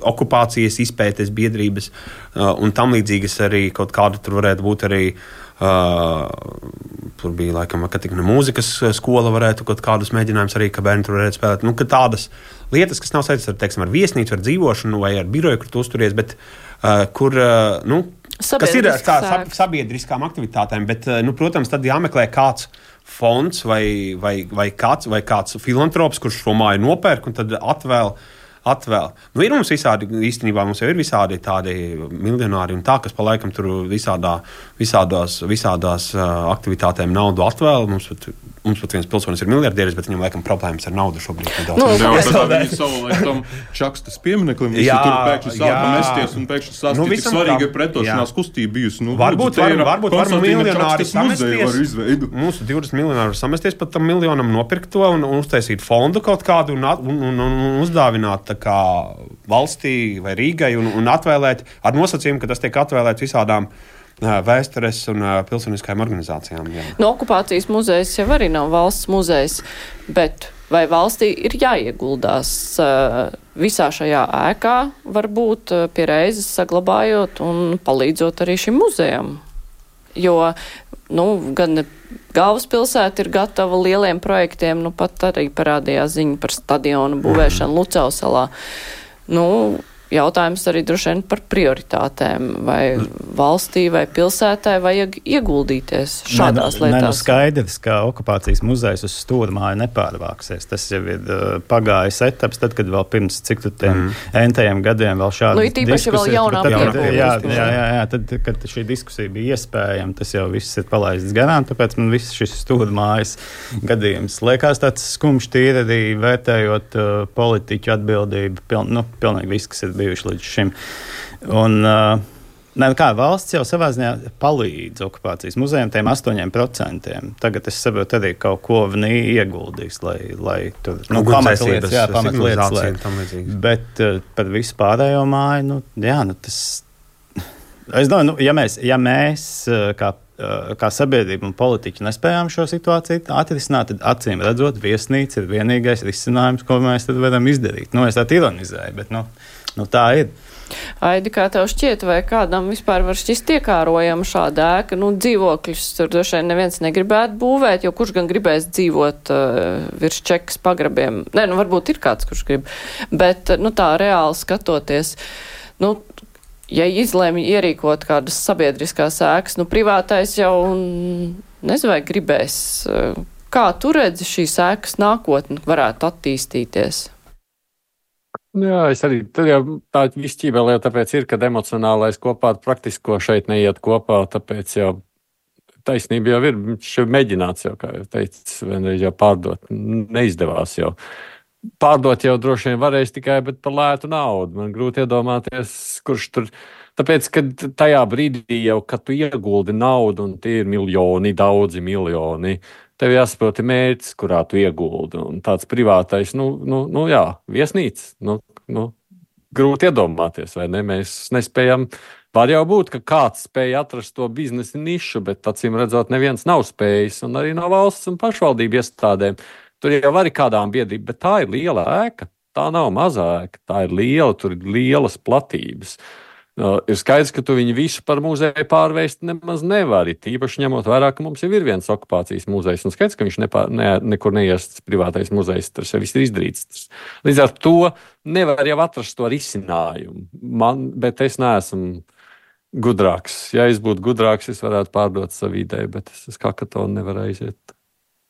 okupācijas izpētes biedrības uh, un tam līdzīgas arī kaut kāda tur varētu būt arī. Uh, tur bija laikam, ka tikna mūzikas skola varētu kaut kādus mēģinājumus arī, ka bērni tur varētu spēlēt. Nu, ka tādas lietas, kas nav saistītas ar, teiksim, ar viesnīcu, ar dzīvošanu vai ar biroju, kur tu uzturies, bet uh, kur, uh, nu, kas ir ar tā sabiedriskām aktivitātēm, bet, nu, protams, tad jāmeklē kāds fonds vai, vai, vai, kāds, vai kāds filantrops, kurš šo māju nopērk un tad atvēl. atvēl. Nu, ir mums visādi, īstenībā mums jau ir visādi tādi miljonāri un tā, kas pa laikam tur visādā, visādās, visādās uh, aktivitātēm naudu atvēl. Mums pat, mums pat viens pilsonis ir miljardieris, bet viņam laikam problēmas ar naudu šobrīd. Nu, jā, tad viņi savulaik tam Čakstas piemineklim, visi jā, tur pēkšņi sāka mesties un pēkšņi stāstīja, nu, tik svarīga pretošanās kustība bijusi. Nu, varbūt varam, varbūt varam miljonāri samesties. Mūsu divdesmit miljonāri samesties pat tam miljonam nopirkt to un, un uztaisīt fondu kaut kādu un, un, un, un uzdāvināt kā valstī vai Rīgai un, un atvēlēt ar nosacījumu, ka tas tiek atvēlēts visādām vēstures un pilsoniskajām organizācijām. Jā. No okupācijas muzejs jau arī nav valsts muzejs, bet vai valstī ir jāieguldās uh, visā šajā ēkā, varbūt uh, pie reizes saglabājot un palīdzot arī šim muzejam? Jo, nu, gan galvaspilsēta ir gatava lieliem projektiem, nu pat arī parādījās ziņa par stadionu būvēšanu Lucavas salā. Nu, jautājums arī droši vien par prioritātēm, vai valstī vai pilsētē vajag ieguldīties šādās ne, lietās. Ne, nu skaidrs, ka okupācijas muzejs uz stūrmāju nepārvāksies. Tas jau ir uh, pagājis etaps, tad, kad vēl pirms cik tu tiem mm. entajiem gadiem vēl šādas nu, diskusijas. Vēl jaunā tad, tad, jā, jā, jā, jā, tad, kad šī diskusija bija iespējama, tas jau viss ir palaists garām, tāpēc man viss šis stūrmājas gadījums liekas tāds skumjš tīri arī vērtējot uh, politiķu atbildību, piln, nu, pilnīgi viss, kas ir bijuši līdz šim. Un, uh, ne, kā valsts jau savā ziņā palīdz okupācijas muzejiem tiem astoņiem procentiem. Tagad es saprotu arī kaut ko viņi ieguldīs, lai, lai tur, nu, pamatlietas, jā, pamatlietas, lai, bet uh, par visu pārējo māju, nu, jā, nu, tas, es domāju, nu, ja mēs, ja mēs uh, kā kā sabiedrība un politiķi nespējām šo situāciju atrisināt, tad acīm redzot, viesnīca ir vienīgais risinājums, ko mēs tad varam izdarīt. Nu, es tā ironizēju, bet nu, nu, tā ir. Aidi, kā tev šķiet, vai kādam vispār var šķist iekārojama šāda ēka? Nu, dzīvokļus tur droši vien neviens negribētu būvēt, jo kurš gan gribēs dzīvot uh, virs čekas pagrabiem? Nē, nu, varbūt ir kāds, kurš grib, bet, nu, tā reāli skatoties, nu, ja izlēma ierīkot kādas sabiedriskās ēkas, nu privātais jau nezinu, vai gribēs. Kā tu redzi šīs ēkas nākotni varētu attīstīties? Jā, es arī, tad jau tā visķībēlē, tāpēc ir, kad emocionālais kopā ar praktisko šeit neiet kopā, tāpēc jau taisnība jau ir, šeit mēģināts jau, kā jau teicis, vienreiz jau pārdot, neizdevās jau. Pārdot jau droši vien varēs tikai, bet par lētu naudu. Man grūti iedomāties, kurš tur. Tāpēc, kad tajā brīdī jau, kad tu ieguldi naudu, un tie ir miljoni, daudzi miljoni, tev jāsaprot mērķis, kurā tu ieguldi. Un tāds privātais, nu, nu, nu jā, viesnīca. Nu, nu, grūti iedomāties, vai ne? Mēs nespējam. Var jau būt, ka kāds spēja atrast to biznesa nišu, bet acīm redzot, neviens nav spējis, un arī no valsts un pašvaldību iestādēm. Tur jau var kādām biedrībām, bet tā ir liela ēka. Tā nav mazā ēka, tā ir liela, tur ir lielas platības. Uh, ir skaidrs, ka tu viņu visu par muzeju pārvērst nemaz nevari. Tīpaši ņemot vērā, ka mums jau ir viens okupācijas muzejs. Un skaidrs, ka viņš nepār, ne, nekur neies privātais muzejs, tas jau viss ir izdarīts. Līdz ar to nevar jau atrast to risinājumu. Man, bet es neesmu gudrāks. Ja es būtu gudrāks, es varētu pārdot savu ideju, bet es uz kakatonu nevaru aiziet.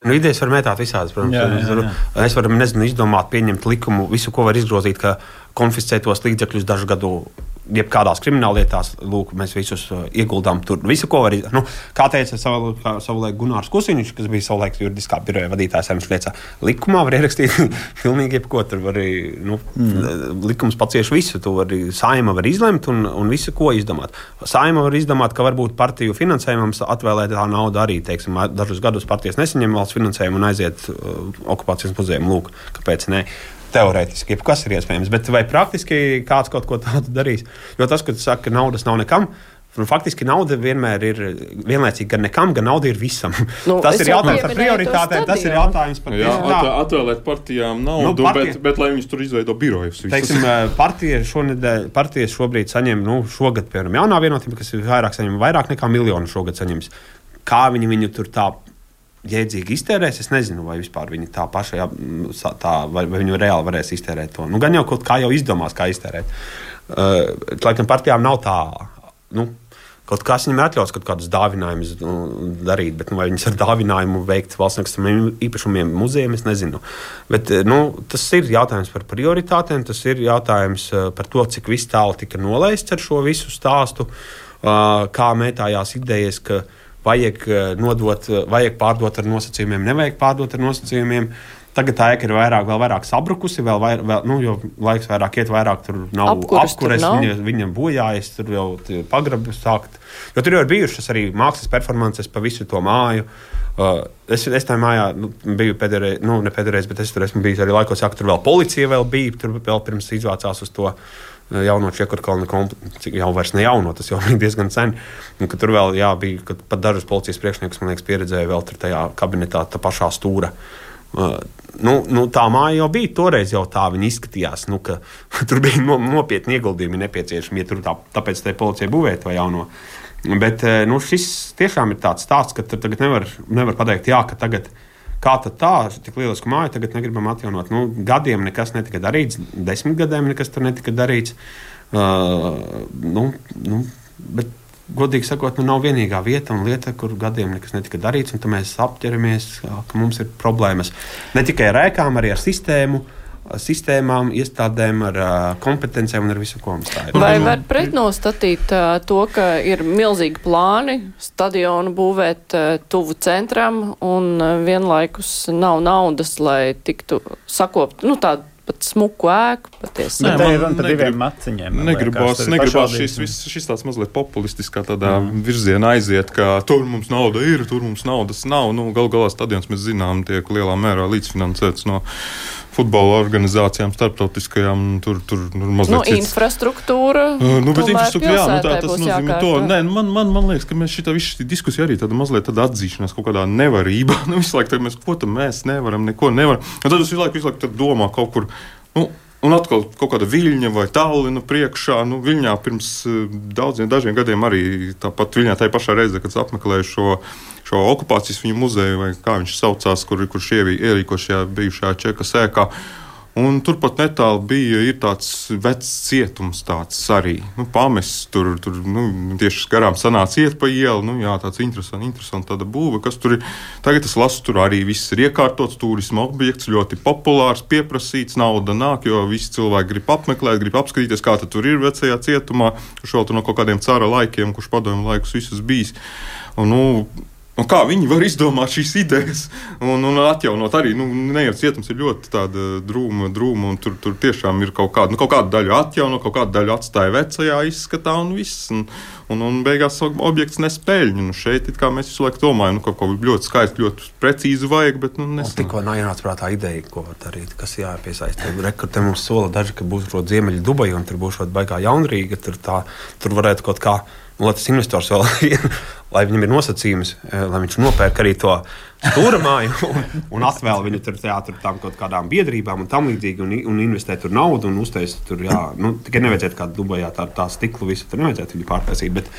Nu, idejas var mētāt visādas, protams. Jā, jā, jā. Es varu, nezinu, izdomāt, pieņemt likumu, visu, ko var izgrozīt, ka konfiscētos līdzekļus dažu gadu jebkādās krimināllietās, lūk, mēs visus uh, ieguldām tur. Visu, ko var izdarīt. Nu, kā teica savu, kā, savulaik Gunārs Kusiņš, kas bija savulaik juridiskā biroja vadītājs, viņš liecā, likumā var ierakstīt pilnīgi jebko. Tur var arī, nu, mm. likums pacieš visu. Tu vari, Saeima var izlemt un, un visu, ko izdomāt. Saeima var izdomāt, ka varbūt partiju finansējumam atvēlētā nauda arī, teiksim, dažus gadus partijas nesaņem valsts finansējumu un aiziet uh, okupācijas muzejam. Lūk, kāpēc ne? Teorētiski, kas ir iespējams, bet vai praktiski kāds kaut ko tādu darīs? Jo tas, ka tu saki, ka naudas nav nekam, faktiski nauda vienmēr ir vienlaicīgi gan nekam, gan nauda ir visam. Nu, tas ir jautājums par prioritātēm, tas ir jautājums par jā, at, atvēlēt partijām naudu, nu, partija, bet, bet lai viņus tur izveido birojus. Teiksim, partija šonedēļ, partijas šobrīd saņem, nu, šogad, piemēram, jaunā vienotība, kas ir vairāk saņem, vairāk nekā miljonu šogad saņems. Kā viņi viņu tur tā jēdzīgi iztērēs, es nezinu, vai vispār viņi tā paša, jā, tā, vai, vai viņi reāli varēs iztērēt to. Nu, gan jau kaut kā jau izdomās, kā iztērēt. Uh, laikam partijām nav tā, nu, kaut kas viņam ir atļauts kaut kādus dāvinājumus nu, darīt, bet nu, vai viņas ar dāvinājumu veikt valsts nekustamiem īpašumiem muzejiem, es nezinu. Bet, nu, tas ir jautājums par prioritātēm, tas ir jautājums par to, cik viss tālu tika nolaists ar šo visu stāstu, uh, kā mētājās idejas, ka vajag nodot, vajag pārdot ar nosacījumiem, nevajag pārdot ar nosacījumiem. Tagad tā ēka ir vairāk, vēl vairāk sabrukusi, vēl vairāk, vēl, nu, jo laiks vairāk iet, vairāk tur nav Apkuras apkures, tur nav. viņa, viņa bojājas, tur jau pagrabi sākt. Jo tur jau ir bijušas arī mākslas performances pa visu to māju. Uh, es, es tā mājā nu, biju pēdējais, nu, ne pēdējais, bet es tur esmu bijis arī laikos, jā, ka tur vēl policija vēl bija, tur vēl pirms izvācās uz to jauno Čiekurkalna kompleksu, jau vairs ne jauno, tas jau bija diezgan sen. Un, ka tur vēl, jā, bija, kad pat dažus policijas priekšniekus, man liekas, pieredzēja vēl tur tajā kabinetā, tā pašā stūra. Uh, nu, nu, tā māja jau bija, toreiz jau tā viņa izskatījās, nu, ka tur bija no, nopietni ieguldījumi nepieciešami, ja tur tā, tāpēc tai policija būvēja to jauno. Bet nu, šis tiešām ir tāds stāsts, ka tagad nevar, nevar pateikt, jā, ka tagad kā tad tā, tik lielisku māju tagad negribam atjaunot. Nu, gadiem nekas netika darīts, desmit gadiem nekas tur netika darīts. Uh, nu, nu, bet, godīgi sakot, nu, nav vienīgā vieta un lieta, kur gadiem nekas netika darīts, un tad mēs apķeramies, ka mums ir problēmas. Ne tikai ar ēkām, arī ar sistēmu, sistēmām, iestādēm, ar uh, kompetencijām un ar visu, ko mums tā ir. Vai var pretnostatīt uh, to, ka ir milzīgi plāni stadionu būvēt uh, tuvu centram un uh, vienlaikus nav naudas, lai tiktu sakopt, nu tādu pat smuku ēku patiesi? Nē, man ir runa par diviem maciņiem. Negribās, negribās šis, šis, šis tāds mazliet populistiskā tādā mm. virzienā aiziet, ka tur mums nauda ir, tur mums naudas nav. Nu, gal galā stadions, mēs zinām, tiek lielā mērā līdzfinansēts no futbola organizācijām, starptautiskajām, tur, tur nu, mazliet nu, cits. Infrastruktūra, uh, nu, bet infrastruktūra, jā, nu, tā, tas būs nozīmē to. Nē, man, man, man liekas, ka mēs šitā visu diskusiju arī tāda mazliet tāda atzīšanās kaut kādā nevarībā. Nu, visu laiku mēs, ko tam mēs nevaram, neko nevaram. Un tad es visu laiku, visu laiku domā kaut kur, nu, un atkal kaut kāda Viļņa vai Tallina priekšā. Nu, Viļņā pirms daudziem, dažiem gadiem arī tāpat Viļņā tajā pašā reizē, kad apmeklēju šo, šo okupācijas viņu muzeju, vai kā viņš saucās, kur, kur šie ierīko šajā bijušajā Čekas ēkā. Un turpat netālu bija ir tāds vecs cietums tāds arī. Nu, pamests tur, tur nu, tieši garām sanāca iet pa ielu. Nu, jā, tāds interesants, interesants tāda būve, kas tur ir. Tagad es lasu, tur arī viss ir iekārtots, turisma objekts, ļoti populārs, pieprasīts, nauda nāk, jo visi cilvēki grib apmeklēt, grib apskatīties, kā tad tur ir vecajā cietumā, kurš vēl tur no kaut kādiem cara laikiem, kurš padomju laikus visus bijis. Un, nu, Un kā viņi var izdomāt šīs idejas un, un atjaunot arī? Nu, Neiet cietums ir ļoti tāda drūma, drūma un tur, tur tiešām ir kaut kāda, nu, kaut kāda daļa atjauno, kaut kāda daļa atstāja vecajā izskatā un viss. Un, un, un beigās objekts nespēļņu. Nu, šeit it kā mēs visu laiku domājam, nu, kaut ko ļoti skaisti, ļoti precīzi vajag, bet nu, nesanāk. Tikko nāc prātā ideja, ko darīt, kas jāpiesaista. Rekur, te mums sola daži, ka būs rot Ziemeļa Dubaja un tur būs rot baigā Jaunrīga, tur, tā, tur varētu kaut kā. Un, lai tas investors vēl, lai viņam ir nosacījums, lai viņš nopērk arī to stūramāju un, un atvēl viņu tur, jā, tur tam kaut kādām biedrībām un tam līdzīgi un, un investē tur naudu un uztais tur, jā, nu, tikai nevajadzētu kā Dubajā tā, tā stiklu visu, tur nevajadzētu viņu pārtaisīt, bet,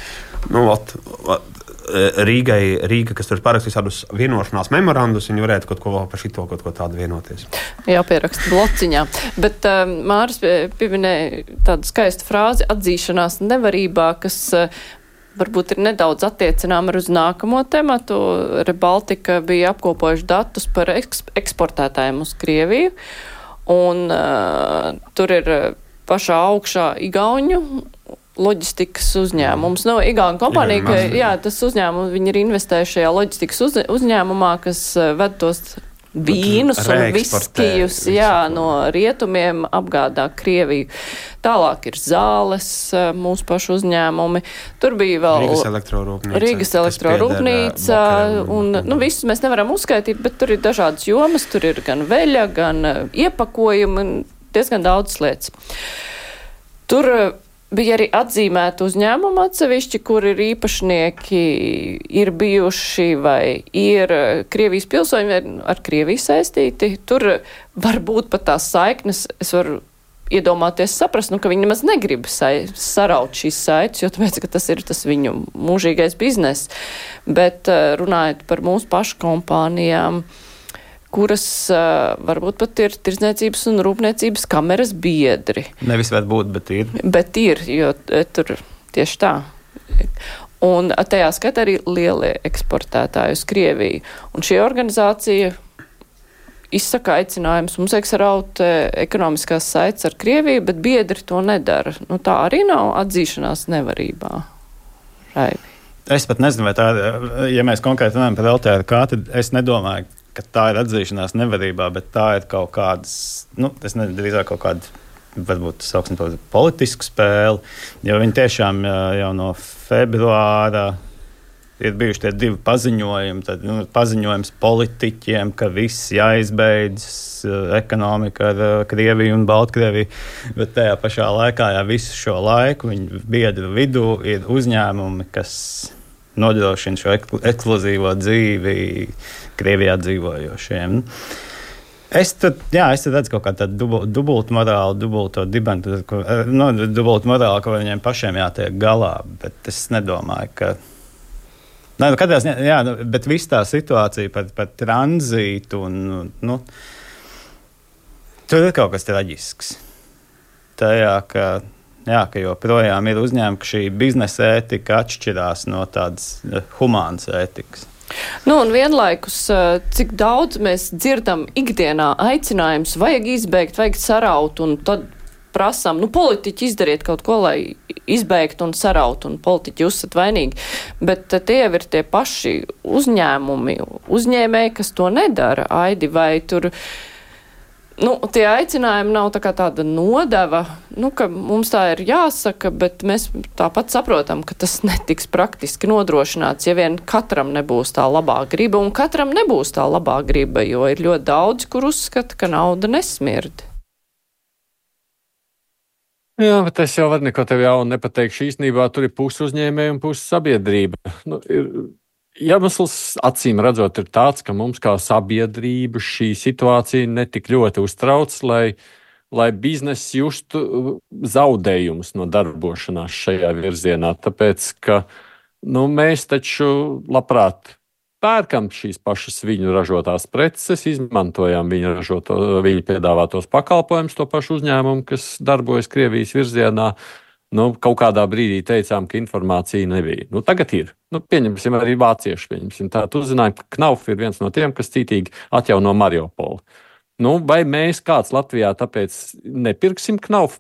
nu, ot, ot, Rīgai, Rīga, kas tur parakstīs tādus vienošanās memorandus, viņi varētu kaut ko vēl par šito kaut ko tādu vienoties. Jā, pierakst blociņā. Bet uh, Māris pieminēja tādu skaistu frāzi atzīšanās nevarībā, kas uh, varbūt ir nedaudz attiecinām ar uz nākamo tematu. Rebaltika bija apkopojuši datus par eks- eksportētājiem uz Krieviju, un uh, tur ir pašā augšā igauņu loģistikas uzņēmums. Nu, Igauna kompānija, ka, jā, tas uzņēmums, viņi ir investējuši šajā loģistikas uz, uzņēmumā, kas ved tos vīnus un viskijus, jā, no rietumiem apgādā Krieviju. Tālāk ir zāles, mūsu pašu uzņēmumi. Tur bija vēl Rīgas elektrorūpnīca. Rīgas elektrorūpnīca, un, nu, visus mēs nevaram uzskaitīt, bet tur ir dažādas jomas, tur ir gan veļa, gan iepakojumi, diezgan daudz lietas. Tur bija arī atzīmēti uzņēmumi atsevišķi, kur ir īpašnieki, ir bijuši vai ir Krievijas pilsoņi ar Krieviju saistīti. Tur var būt pat tās saiknes, es varu iedomāties, saprast, nu, ka viņi nemaz negrib sa saraut šīs saites, jo tāpēc, ka tas ir tas viņu mūžīgais biznes. Bet runājot par mūsu pašu kompānijām, kuras uh, varbūt pat ir tirdzniecības un rūpniecības kameras biedri. Nevis var būt, bet ir. Bet ir, jo tur tieši tā. Un tajā skatā arī lielie eksportētāji uz Krieviju. Un šī organizācija izsaka aicinājums mums eksaraut ekonomiskās saites ar Krieviju, bet biedri to nedara. Nu, tā arī nav atzīšanās nevarībā. Raivi. Es pat nezinu, vai tā, ja mēs konkrēti runājam par L T R K, tad es nedomāju, ka tā ir atzīšanās nevarībā, bet tā ir kaut kādas, nu, es nezinu, drīzāk kaut kāda, varbūt sauksim to politisku spēli, jo viņi tiešām jau no februāra ir bijuši tie divi paziņojumi, tad nu, paziņojums politiķiem, ka viss jāizbeidz, ekonomika ar Krieviju un Baltkrieviju, bet tajā pašā laikā, jā, visu šo laiku viņu biedru vidū ir uzņēmumi, kas nodrošina šo ekskluzīvo dzīvi Krievijā dzīvojošiem. Es tad, jā, es tad redzu kaut kādu tādu dubultu morālu, dubulto dibenu, no, dubultu morālu, ko viņiem pašiem jātiek galā, bet es nedomāju, ka Nē, nu, katrā ziņā, jā, bet viss tā situācija par, par tranzītu, un, nu, tur ir kaut kas traģisks. Tajā, ka, jā, ka joprojām ir uzņēmumi, ka šī biznesa ētika atšķirās no tādas humānas ētikas. Nu, un vienlaikus, cik daudz mēs dzirdam ikdienā aicinājums, vajag izbeigt, vajag saraut, un tad prasām, nu, politiķi izdariet kaut ko, lai izbeigtu un sarautu, un politiķi uzsat vainīgi. Bet tie jau ir tie paši uzņēmumi, uzņēmēji, kas to nedara. Aidi, vai tur, nu, tie aicinājumi nav tā kā tāda nodeva, nu, ka mums tā ir jāsaka, bet mēs tāpat saprotam, ka tas netiks praktiski nodrošināts, ja vien katram nebūs tā labā griba, un katram nebūs tā labā griba, jo ir ļoti daudz, kur uzskata, ka nauda nesmird. Jā, bet es jau varu neko tev jaunu nepateikšu. Īstenībā tur ir pusi uzņēmēji un pusi sabiedrība. Nu, ir, iemesls acīm redzot ir tāds, ka mums kā sabiedrība šī situācija netik ļoti uztrauc, lai, lai bizness justu zaudējumus no darbošanās šajā virzienā. Tāpēc, ka nu, mēs taču labprāt pērkam šīs pašas viņu ražotās preces, izmantojam viņu, ražoto, viņu piedāvātos pakalpojumus, to pašu uzņēmumu, kas darbojas Krievijas virzienā. Nu, kaut kādā brīdī teicām, ka informācija nebija. Nu, tagad ir. Nu, pieņemsim arī vācieši. Pieņemsim. Tā uzzinājām, ka Knauf ir viens no tiem, kas cītīgi atjauno Mariupoli. Nu, vai mēs kāds Latvijā tāpēc nepirksim Knauf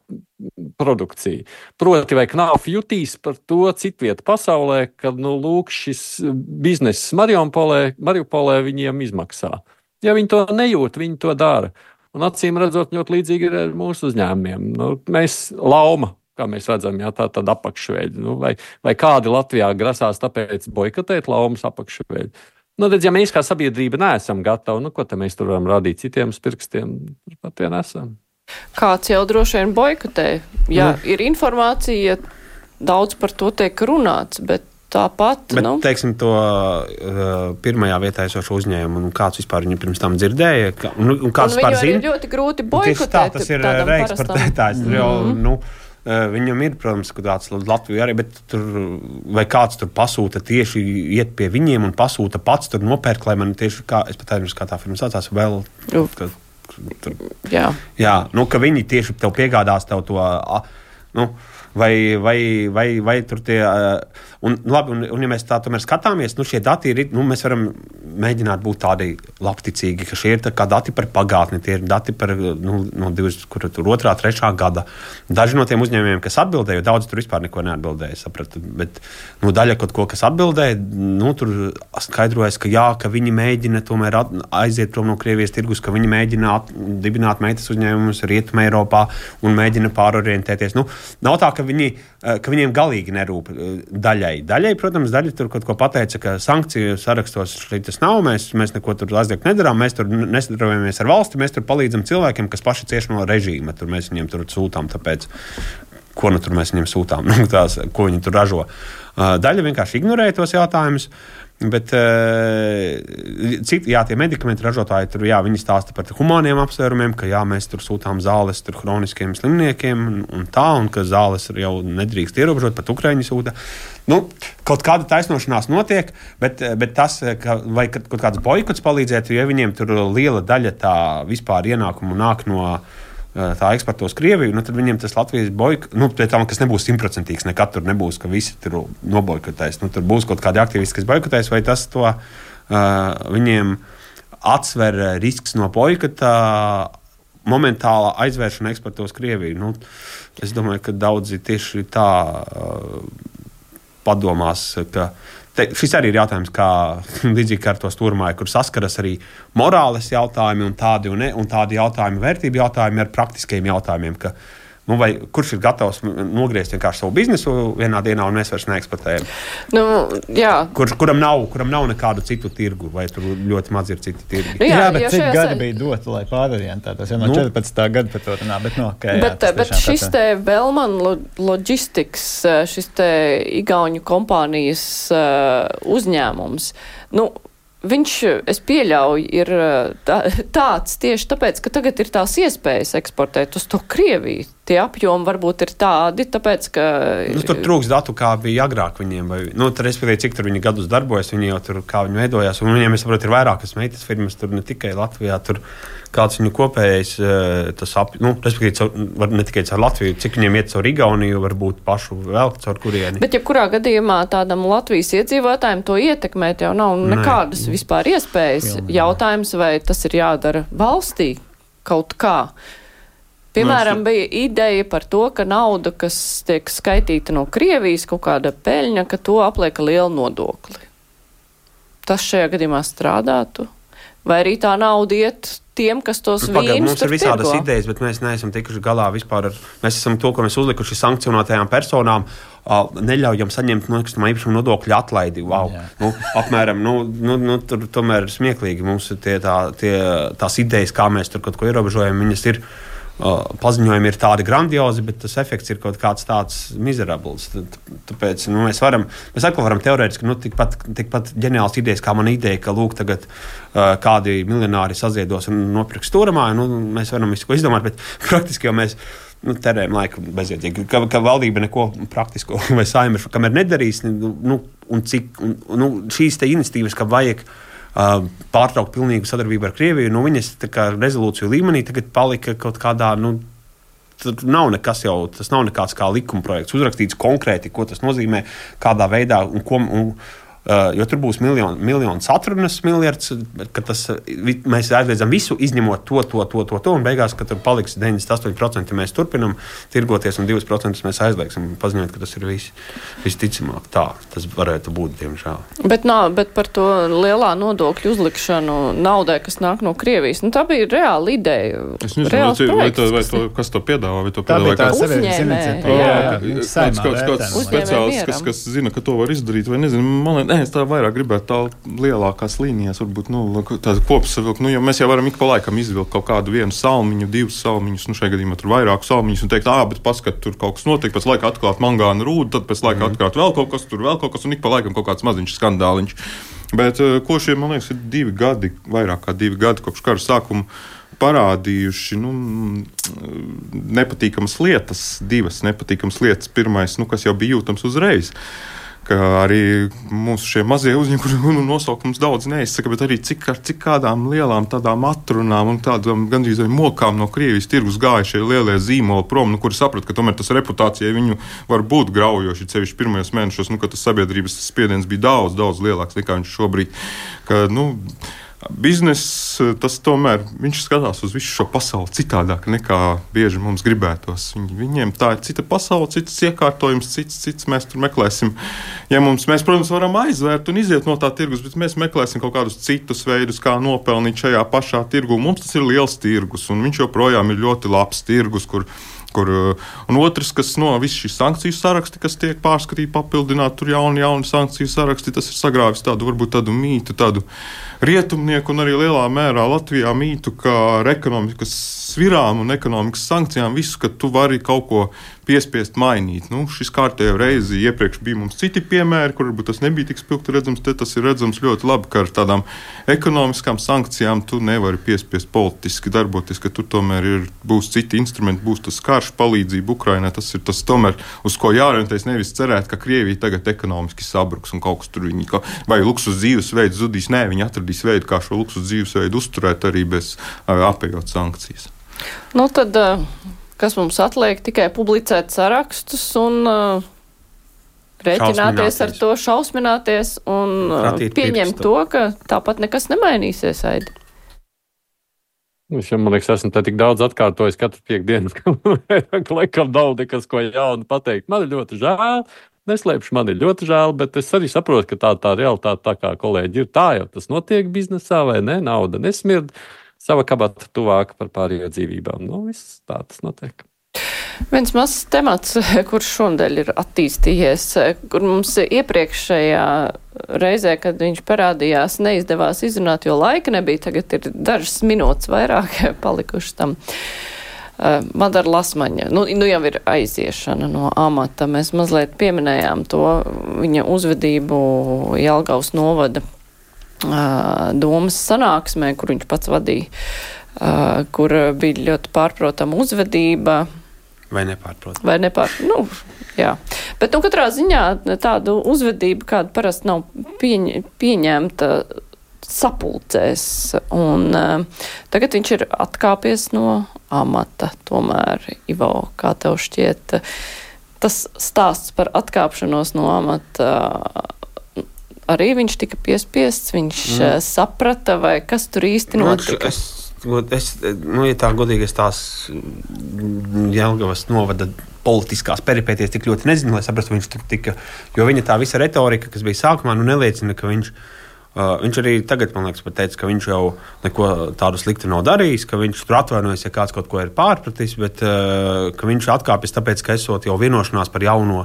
produkciju? Proti, vai Knauf jutīs par to citvieta pasaulē, ka, nu, lūk, šis bizness Mariupolē, Mariupolē viņiem izmaksā. Ja viņi to nejūt, viņi to dara. Un acīm redzot, ļoti līdzīgi ir ar mūsu uzņēmumiem. Nu, mēs lauma, kā mēs redzam, jā, tā tad apakšveļi. Nu, vai, vai kādi Latvijā grasās tāpēc boikotēt laumas apakšveļi? Nu, redz, ja mēs kā sabiedrība neesam gatavi, nu, ko te mēs tur varam rādīt citiem pirkstiem, pat vien esam. Kāds jau droši vien boikotē. Ja nu. Ir informācija, daudz par to tiek runāts, bet tāpat, bet, nu. teiksim, to uh, pirmajā vietā esošu uzņēmumu, un kāds vispār viņu pirms tam dzirdēja, ka, un, un kāds vispār zina. Un viņu ir ļoti grūti boikotēt. Tā, tas ir reeksportētājs, mm. jo, nu, viņam ir, protams, tāds Latvija arī, bet tur, vai kāds tur pasūta tieši iet pie viņiem un pasūta pats tur nopērk, lai man tieši, kā, es pat aizmirsu, kā tā firma saucās, vēl, ka, tur, jā, jā, nu, ka viņi tieši tev piegādās tev to, nu, vai, vai, vai, vai tur tie, un labi, un, un ja mēs tā tomēr skatāmies, nu, šie dati ir, nu, mēs varam mēģināt būt tādi labticīgi, ka šie ir tā kā dati par pagātni, tie ir dati par, nu, no divas, kur tur otrā, trešā gada. Daži no tiem uzņēmumiem, kas atbildēja, jo daudz tur vispār neko neatbildēja, sapratu, bet, nu, daļa kaut ko, kas atbildēja, nu, tur skaidrojas, ka jā, ka viņi mēģina tomēr at, aiziet prom no Krievijas tirgus, ka viņi mēģina at, dibināt meitas uzņēmumus Rietumē Eiropā un mēģina pārorientēties. Nu, nav tā, ka viņi, ka viņiem galīgi nerūp daļai. Daļai, protams, daļa tur kaut ko pateica, ka sankciju sarakstos tas nav, mēs, mēs neko tur aizliegt nedarām, mēs tur nesadarbojamies ar valsti, mēs tur palīdzam cilvēkiem, kas paši cieš no režīma, tur mēs viņiem tur sūtām, tāpēc, ko nu tur mēs viņiem sūtām, nu, tās, ko viņi tur ražo. Daļa vienkārši ignorēja tos jautājumus, bet citi, jā, tie medikamenti ražotāji tur, jā, viņi stāsta par humāniem apsvērumiem, ka jā, mēs tur sūtām zāles tur hroniskiem slimniekiem un, un tā, un ka zāles jau nedrīkst ierobežot, pat Ukraiņi sūta. Nu, kaut kāda taisnošanās notiek, bet, bet tas, ka, vai kaut kāds boikots palīdzētu, ja viņiem tur liela daļa tā vispār ienākumu nāk no tā eksportos Krieviju, nu tad viņiem tas Latvijas boikots, nu, pie tam, kas nebūs simtprocentīgs, nekad tur nebūs, ka visi tur noboikotēs. Nu, tur būs kaut kādi aktīvisti, kas boikotēs, vai tas to uh, viņiem atsver risks no boikota momentālā aizvēršana eksportos Krieviju. Nu, es domāju, ka daudzi tieši tā uh, padomās, ka te, šis arī ir jautājums, kā līdzīgi kā ar to stūrmāju, kur saskaras arī morāles jautājumi un tādi, un ne, un tādi jautājumi, vērtību jautājumi ar praktiskiem jautājumiem, ka nu, vai kurš ir gatavs nogriezt vienkārši savu biznesu vienā dienā, un mēs vairs neeksploatējam? Nu, jā. Kur, kuram, nav, kuram nav nekādu citu tirgu, vai tur ļoti maz ir citi tirgi? Nu, jā, jā, bet cik šajās... gadi bija doti, lai pārorientētos? Jau no nu, četrpadsmitā gada par to runā, bet no, okay, bet, jā, bet šis te Bellman Logistics, šis te igauņu kompānijas uzņēmums, nu, viņš, es pieļauju, ir tā, tāds tieši tāpēc, ka tagad ir tās iespējas eksportēt uz to Krieviju. Tie apjomi varbūt ir tādi, tāpēc, ka... Nu, tur trūks datu, kā bija agrāk viņiem. Vai, nu, tur, respektīvi, cik tur viņi gadus darbojas, viņi jau tur, kā viņi veidojās. Un viņiem, es saprotu, ir vairākas meitas firmas, tur ne tikai Latvijā, tur kāds viņu kopējais, tas ap... Nu, respektīvi, var ne tikai caur Latviju, cik viņiem iet caur Igauniju, varbūt pašu vēl caur kurieni. Bet, ja kurā gadījumā tādam Latvijas iedzīvotājiem to ietekmēt jau nav nekādas Nē. vispār iespējas. Pilnīgi. Jautājums, vai tas ir jādara valstī kaut kā. Piemēram, bija ideja par to, ka nauda, kas tiek skaitīta no Krievijas, kaut kāda peļņa, ka to apliek lielu nodokli. Tas šajā gadījumā strādātu? Vai arī tā nauda iet tiem, kas tos Pagad, vīnus tur pirgo? Mums ir visādas pirgo? Idejas, bet mēs neesam tikuši galā vispār ar... Mēs esam to, ko mēs uzlikuši sankcionētajām personām, neļaujam saņemt nekustamā īpašuma nodokļa atlaidi. Wow. Nu, apmēram, nu, nu, nu, tur tomēr ir smieklīgi. Mums tie, tā, tie, tās idejas, kā mēs tur kaut ko ierobežojam, viņas ir... Uh, paziņojumi ir tādi grandiozi, bet tas efekts ir kaut kāds tāds mizerabls. Tāpēc nu, mēs varam, mēs atkal varam teorētiski, nu, tikpat, tikpat ģeniāls idejas, kā man ideja, ka lūk, tagad uh, kādi miljonāri saziedos un nopirks stūramāju, nu, mēs varam visu ko izdomāt, bet praktiski jau mēs nu, terējam laiku bezjēdzīgi, ka, ka valdība neko praktisko vai saime, kamēr nedarīs, nu, un cik, un, nu, šīs te iniciatīvas, ka vajag Uh, pārtraukt pilnīgu sadarbību ar Krieviju, nu viņas tā kā rezolūciju līmenī tagad palika kaut kādā, nu, tur nav nekas jau, tas nav nekāds kā likuma projekts, uzrakstīts konkrēti, ko tas nozīmē, kādā veidā un ko, un, uh, jo tur būs miljonu, miljons atrunas miljards, ka tas, vi, mēs aizliedzam visu, izņemot to, to, to, to, to, un beigās, ka tur paliks deviņdesmit astoņi procenti mēs turpinam tirgoties, un divi procenti mēs aizliegsim, paziņot, ka tas ir vis, visticamāk. Tā, tas varētu būt, diemžēl. Bet, nā, bet par to lielā nodokļu uzlikšanu naudai, kas nāk no Krievijas, nu tā bija reāla ideja. Es nezinu, vai, to, vai to, kas to piedāvā, vai to piedāvā kāds uzņēmējs, kāds speciālists, kas, kas zina, ka to var izdarīt, vai nezinu, man liekas, es tā vairāk gribētu tā lielākās līnijās, varbūt, nu, tāda kopsavilkt, nu, jo mēs jau varam ik pa laikam izvilkt kaut kādu vienu salmiņu, divus salmiņus, nu, šajā gadījumā tur vairāku salmiņus un teikt, ā, bet paskat, tur kaut kas notiek, pēc laika atklāt mangāna rūdu, tad pēc laika mm. atklāt vēl kaut kas, tur vēl kaut kas, un ik pa laikam kaut kāds maziņš skandāliņš. Bet ko šie, man liekas, ir divi gadi, vairāk kā divi gadi kopš kara sākuma parādījuši, nu, nepatīkamas lietas, divas nepatīkamas lietas. Pirmais, nu, kas jau bija jūtams uzreiz, ka arī mūsu šie mazie uzņēmumi, kuru nosaukums daudz neizsaka, bet arī cik, ar cik kādām lielām tādām atrunām un tādām gandrīz vai mokām no Krievijas tirgus gāja šie lielie zīmoli prom, nu, kuri saprata, ka tomēr tas reputācijai viņu var būt graujoši, cevišķi pirmajos mēnešos, nu, ka tas sabiedrības spiediens bija daudz, daudz lielāks nekā viņš šobrīd, ka, nu, bizness, tas tomēr, viņš skatās uz visu šo pasauli citādāk nekā bieži mums gribētos. Viņ, viņiem tā ir cita pasaule, cits iekārtojums, cits, cits mēs tur meklēsim. Ja mums, mēs, protams, varam aizvērt un iziet no tā tirgus, bet mēs meklēsim kaut kādus citus veidus, kā nopelnīt šajā pašā tirgu. Mums tas ir liels tirgus, un viņš joprojām ir ļoti labs tirgus, kur Kur, un otrs, kas no visas šīs sankciju saraksti, kas tiek pārskatīti, papildināti, tur jauni, jauni sankciju saraksti, tas ir sagrāvis tādu, varbūt tādu mītu, tādu rietumnieku un arī lielā mērā Latvijā mītu, ka ar ekonomikas svirām un ekonomikas sankcijām visu, ka tu vari kaut ko piespiest mainīt. Nu, šis kārtējo reizi iepriekš bija mums citi piemēri, kur varbūt tas nebija tik spilgti redzams, te tas ir redzams ļoti labi, ka ar tādām ekonomiskām sankcijām tu nevari piespiest politiski darboties, ka tur tomēr ir, būs citi instrumenti, būs tas karš, palīdzība Ukrainai, tas ir tas tomēr, uz ko jāorientējas, nevis cerēt, ka Krievija tagad ekonomiski sabruks un kaut kas tur viņi, vai luksus dzīvesveids zudīs. Nē, viņi atradīs veidu, kā šo luksus dzīvesveidu uzturēt arī bez apējot sankcijas. Nu tad, kas mums atliek, tikai publicēt sarakstus un uh, rēķināties ar to, šausmināties un uh, pieņemt to, ka tāpat nekas nemainīsies, Aidi. Es jau, man liekas, esmu te tik daudz atkārtojis katru piekdienu, ka laikam nav nekas, ko jaunu pateikt. Man ir ļoti žēl, neslēpšu, man ir ļoti žēl, bet es arī saprotu, ka tā tā realitāte, tā kā kolēģi ir, tā jau tas notiek biznesā, vai ne? Nauda nesmird, sava kabata tuvāka par pārējo dzīvībām. Nu, viss tā tas notiek. Viens mazs temats, kurš šonadēļ ir attīstījies, kur mums iepriekšējā reizē, kad viņš parādījās, neizdevās izrunāt, jo laika nebija, tagad ir dažas minūtes vairāk palikušas tam. Madara Lasmaņa, nu, nu jau ir aiziešana no amata. Mēs mazliet pieminējām to viņa uzvedību Jelgavas novada uh, domas sanāksmē, kur viņš pats vadīja, uh, kur bija ļoti pārprotama uzvedība. Vai nepārprotama? Vai nepārprotama, nu, jā. Bet, nu, katrā ziņā tādu uzvedību, kāda parasti nav pieņ, pieņemta sapulcēs, un uh, tagad viņš ir atkāpies no amata. Tomēr, Ivo, kā tev šķiet, tas stāsts par atkāpšanos no amata, uh, arī viņš tika piespiests, viņš mm. uh, saprata, vai kas tur īsti notika? Es, es, nu, ja tā godīgi, es tās Jelgavas novada politiskās peripēties tik ļoti nezinu, lai saprastu, viņš tur tika, jo viņa tā visa retorika, kas bija sākumā, nu neliecina, ka viņš Uh, viņš arī tagad, man liekas, pat teica, ka viņš jau neko tādu sliktu nav darījis, ka viņš tur atvainojas, ja kāds kaut ko ir pārpratis, bet uh, ka viņš atkāpjas tāpēc, ka esot jau vienošanās par jauno.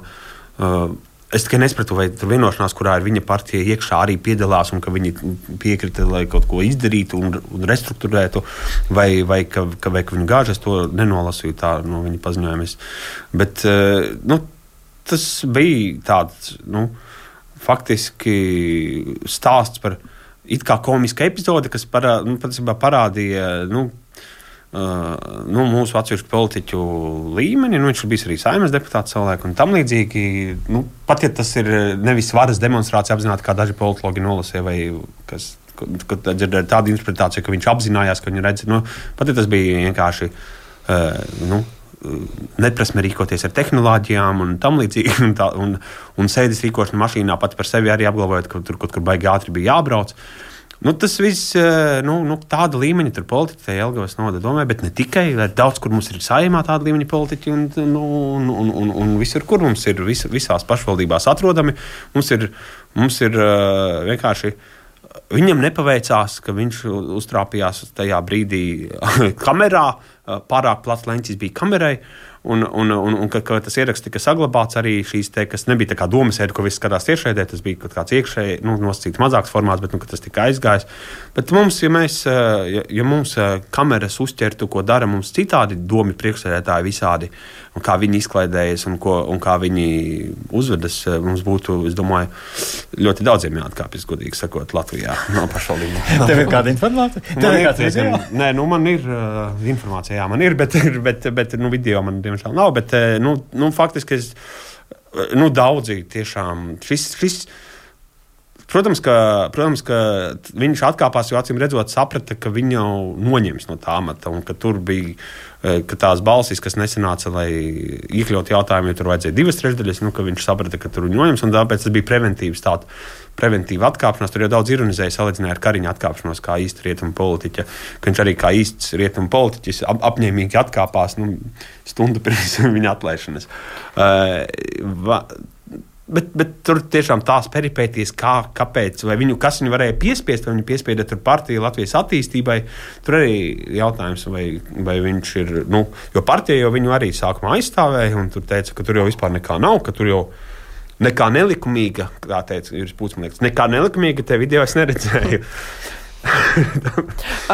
Uh, es tikai nespratu, vai tur vienošanās, kurā ir viņa partija iekšā arī piedalās un ka viņi piekrita, lai kaut ko izdarītu un, un restruktūrētu, vai, vai, ka, ka, vai ka viņi gāžas, to nenolasīju tā no viņa paziņojumus. Bet uh, nu, tas bija tāds, nu, faktiski stāsts par it kā komisku epizodi, kas parā, nu, parādīja nu, uh, nu, mūsu atsevišķu politiķu līmeni. Nu, viņš ir bijis arī Saeimas deputāts savulaik un tam līdzīgi. Nu, pat ja tas ir nevis varas demonstrācija apzināti, kā daži politologi nolasīja, vai kas, kad dzirdēja tādu interpretāciju, ka viņš apzinājās, ka viņi redz, nu, pat ja tas bija vienkārši uh, nu, neprasme rīkoties ar tehnoloģijām un tam līdzīgi, un, tā, un, un sēdes rīkošana mašīnā pat par sevi arī apgalvojot, ka tur kaut kur baigi ātri bija jābrauc. Nu, tas viss, nu, nu, tāda līmeņa tur politiķi Jelgavas novada domē, bet ne tikai, daudz, kur mums ir Saeimā tāda līmeņa politiķi un, nu, un, un, un, un visur, kur mums ir vis, visās pašvaldībās atrodami, mums ir, mums ir uh, vienkārši, viņam nepaveicās, ka viņš uztrāpījās tajā brīdī kamerā, pārāk plats leņķis bija kamerai, un, un, un, un ka, ka tas ieraksts tika saglabāts arī šīs te, kas nebija tā kā domasēde, ko viss skatās tiešraidē, tas bija kaut kāds iekšēji, nu, nosacīts mazāks formāts, bet, nu, ka tas tika aizgājis. Bet mums, ja mēs, ja, ja mums kameras uzķertu, ko dara mums citādi domi priekšsēdētāji visādi, un kā viņi izklaidējas un, ko, un kā viņi uzvedas, mums būtu, es domāju, ļoti daudziem jāatkāpjas, godīgi sakot, Latvijā no pašvaldībām. Tev ir kāda informācija? Tev ir kāds video? Nē, nu man ir uh, informācija, jā, man ir, bet, bet, bet nu, video man diemžēl nav, bet, nu, nu faktiski es, nu, daudzi tiešām, šis, šis Protams ka, protams, ka viņš atkāpās, jo acīm redzot saprata, ka viņu jau noņems no tā amata un ka tur bija, ka tās balsis, kas nesanāca, lai iekļaut jautājumu, jo tur vajadzēja divas trešdaļas, nu, ka viņš saprata, ka tur noņems, un tāpēc tas bija preventīvs tāda preventīva atkāpšanās. Tur jau daudz ironizēja, salīdzināja ar Kariņa atkāpšanos kā īsta rietumu politiķa, ka viņš arī kā īsts rietumu politiķis ap, apņēmīgi atkāpās, nu, stundu pirms viņa atlaišanas. Uh, va, Bet, bet tur tiešām tās peripēties, kā, kāpēc, vai viņu, kas viņu varēja piespiest, vai viņu piespieda tur partiju Latvijas attīstībai, tur arī jautājums, vai, vai viņš ir, nu, jo partija jau viņu arī sākumā aizstāvēja, un tur teica, ka tur jau vispār nekā nav, ka tur jau nekā nelikumīga, kā teica Juris Pūcmanieks, nekā nelikumīga, te video es neredzēju.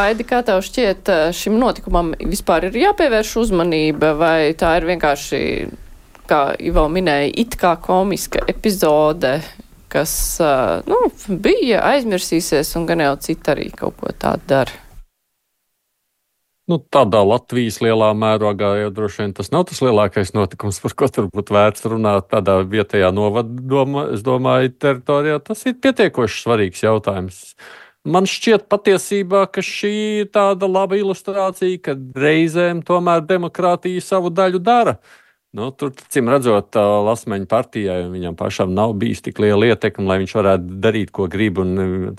Aidi, kā tev šķiet, šim notikumam vispār ir jāpievērš uzmanība, vai tā ir vienkārši, kā Ivo minēja, it kā komiska epizode, kas, nu, bija aizmirsīsies, un gan jau citi arī kaut ko tādu dara? Nu, tādā Latvijas lielā mērogā jau droši vien tas nav tas lielākais notikums, par ko tur būtu vērts runāt tādā vietējā novada, es domāju, teritorijā. Tas ir pietiekoši svarīgs jautājums. Man šķiet patiesībā, ka šī ir tāda laba ilustrācija, ka reizēm tomēr demokrātija savu daļu dara. Nu, tur, cim redzot, Lasmeņa partijai, viņam pašam nav bijis tik liela ietekme, lai viņš varētu darīt, ko grib, un,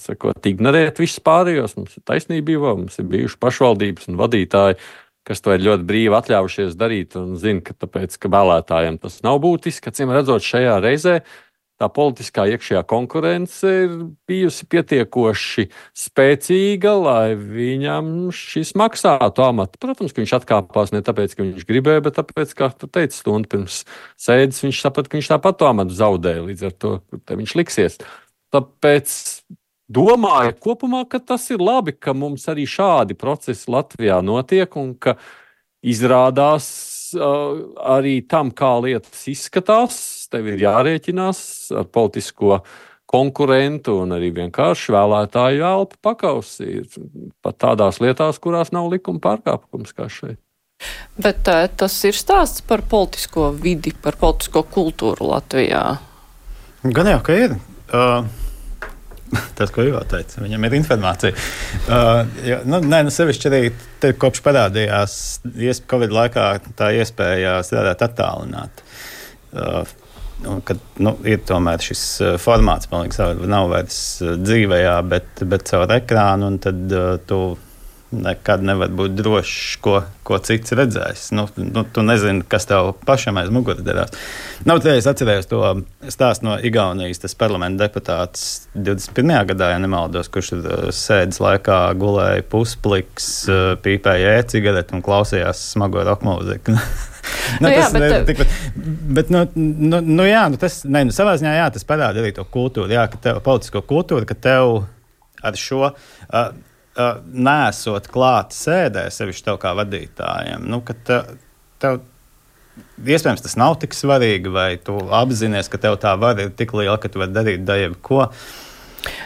sakot, ignorēt visus pārējos. Mums ir taisnība, mums ir bijuši pašvaldības un vadītāji, kas to ir ļoti brīvi atļaujušies darīt un zina, ka tāpēc, ka vēlētājiem tas nav būtiski, acīm redzot šajā reizē, tā politiskā iekšējā konkurence ir bijusi pietiekoši spēcīga, lai viņam šis maksātu amatu. Protams, ka viņš atkāpās ne tāpēc, ka viņš gribēja, bet tāpēc, kā tu teici, stundu pirms sēdes, viņš saprata, ka viņš tāpat to amatu zaudēja, līdz ar to te viņš liksies. Tāpēc domāju kopumā, ka tas ir labi, ka mums arī šādi procesi Latvijā notiek un ka izrādās uh, arī tam, kā lietas izskatās, tev ir jārēķinās ar politisko konkurentu un arī vienkārši vēlētāju elpu pakausī pat tādās lietās, kurās nav likuma pārkāpums kā šeit. Bet tā, tas ir stāsts par politisko vidi, par politisko kultūru Latvijā. Gan jau, ka ir. Uh, tas, ko Ivo teica, viņam ir informācija. Uh, jo, nu, nē, nu sevišķi arī te, kopš parādījās Covid laikā tā iespēja strādāt attālināt. Uh, Un, kad nu, ir tomēr šis formāts, man liekas, nav vairs dzīvējā, bet, bet caur ekrānu, un tad uh, tu nekad nevari būt drošs, ko, ko cits redzēs. Nu, nu, tu nezini, kas tev pašam aiz muguras darās. Nu, tad es atcerējos to stāstu no Igaunijas, tas parlamenta deputāts divdesmit pirmajā gadā, ja nemaldos, kurš sēdes laikā gulēja puspliks, pīpēja e-cigareti un klausījās smago rock mūziku. Nu, nu, jā, tas, bet, ne, tik, bet nu, nu, nu, jā, nu, tas, ne, nu, savā ziņā jā, tas parāda arī to kultūru, jā, ka tev, politisko kultūru, ka tev ar šo uh, uh, nesot klāt sēdē, sevišķi tev kā vadītājiem, nu, ka tev, tev iespējams tas nav tik svarīgi, vai tu apzinies, ka tev tā var ir tik liela, ka tu vari darīt daļu ko.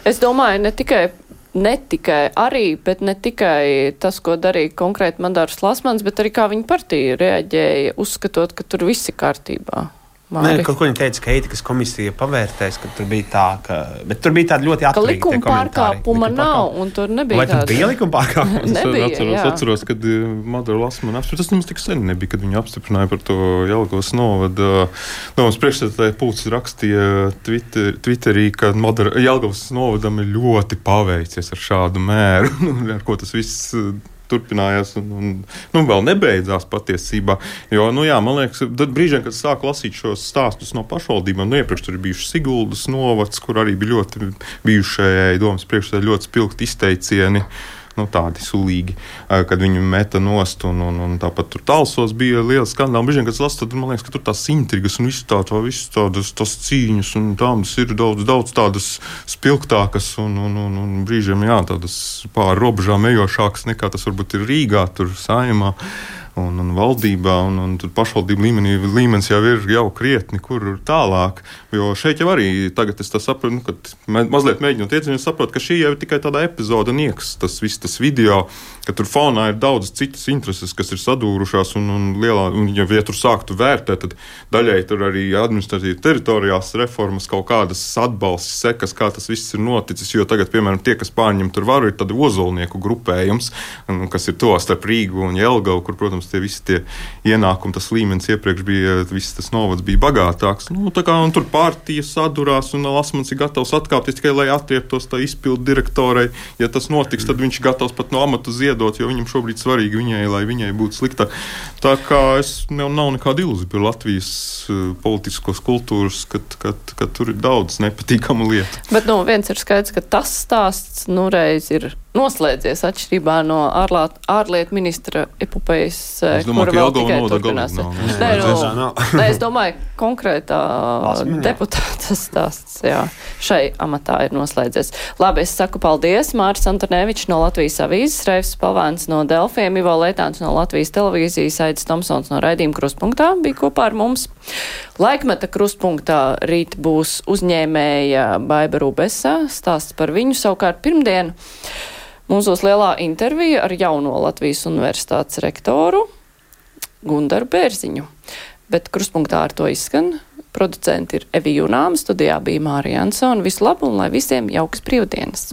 Es domāju, ne tikai Ne tikai arī, bet ne tikai tas, ko darīja konkrēti Madars Lasmans, bet arī kā viņa partija reaģēja, uzskatot, ka tur viss ir kārtībā. Nē, kaut ko viņa teica, ka ētikas komisija pavērtēs, ka tur bija tā, ka... Bet tur bija tāda ļoti atturīga ka likuma pārkāpuma nav, un tur nebija Vai tāda... Vai tur bija likuma pārkāpuma? Nebija, atceros, jā. atceros, kad Madaru Lasmanu apstiprināja. Tas nemaz tik sen nebija, kad viņu apstiprināja par to Jelgavas novadu. Domas priekšsēdētāja Pūcis rakstīja Twitter, Twitterī, ka Madara, Jelgavas novadam ir ļoti paveicies ar šādu mēru, ar ko tas viss turpinājās un, un nu, vēl nebeidzās patiesībā. Jo, nu jā, man liekas, tad brīžiem, kad sāku lasīt šos stāstus no pašvaldībām, nu iepriekš tur ir bijuši Siguldas novads, kur arī bija ļoti bijušajai domas priekšsēdētājai ļoti spilgti izteicieni, nu tādi sulīgi, kad viņu meta nost, un, un, un tāpat tur Talsos bija liels skandāls. Brīžiem, kad es lasu, tad man liekas, ka tur tās intrigas un visu tā, tā, visu tādas tās cīņas, un tādas ir daudz, daudz tādas spilgtākas, un, un, un, un brīžiem, jā, tādas pāri robežām ejošākas nekā tas varbūt ir Rīgā, tur Saeimā. Un, un valdībā, un, un tur pašvaldību līmenī līmenis jau ir jau krietni, kur tālāk. Jo šeit jau arī tagad es tā saprotu, nu, kad mazliet mēģinot iedzīvināt, saprotu, ka šī jau ir tikai tāda epizoda nieks, tas viss tas video, ka tur fonā ir daudz citas intereses, kas ir sadūrušās, un, un lielā, un ja, ja tur sāktu vērtēt, tad daļai tur arī administratīvi teritoriāls reformas, kaut kādas atbalsts sekas, kā tas viss ir noticis, jo tagad, piemēram, tie, kas pārņem tur varu, ir tādi ozolnieku grupējums, kas ir to starp Rīgu un Jelgavu, kur, protams, tie visi tie ienākumi, tas līmenis iepriekš bija, viss tas novads bija bagātāks. Nu, tā kā, un tur partija sadurās, un Lasmans ir gatavs atkāpties tikai, lai atrieptos tā izpildu direktorai. Ja tas notiks, tad viņš gatavs pat no amatu ziedot, jo viņam šobrīd svarīgi viņai, lai viņai būtu sliktāk. Tā kā es nav, nav nekāda ilūzija par Latvijas uh, politiskos kultūras, kad, kad, kad tur ir daudz nepatīkamu lietu. Bet, nu, viens ir skaidrs, ka tas stāsts, nu, reiz ir noslēdzies atšķirībā no ārlāt, ārlietu ministra epopejas, kura vēl tikai turpinās. Nē, nu, nē, es domāju, konkrētā deputāta stāsts, jā, šai amatā ir noslēdzies. Labi, es saku paldies. Māris Antonevičs no Latvijas avīzes, Reifs Palvēns no Delfiem, Ivo Leitāns no Latvijas televīzijas, Aidis Tomsons no raidījuma Krustpunktā bija kopā ar mums. Laikmeta Krustpunktā rīt būs uzņēmēja Baiba Rubesa, stāsts par viņu savukārt pirmdien. Mums būs lielā intervija ar jauno Latvijas universitātes rektoru Gundaru Bērziņu. Bet Krustpunktā ar to izskan. Producenti ir Evi Junāma, studijā bija Mārija Ansona. Visu labu un lai visiem jaukas brīvdienas!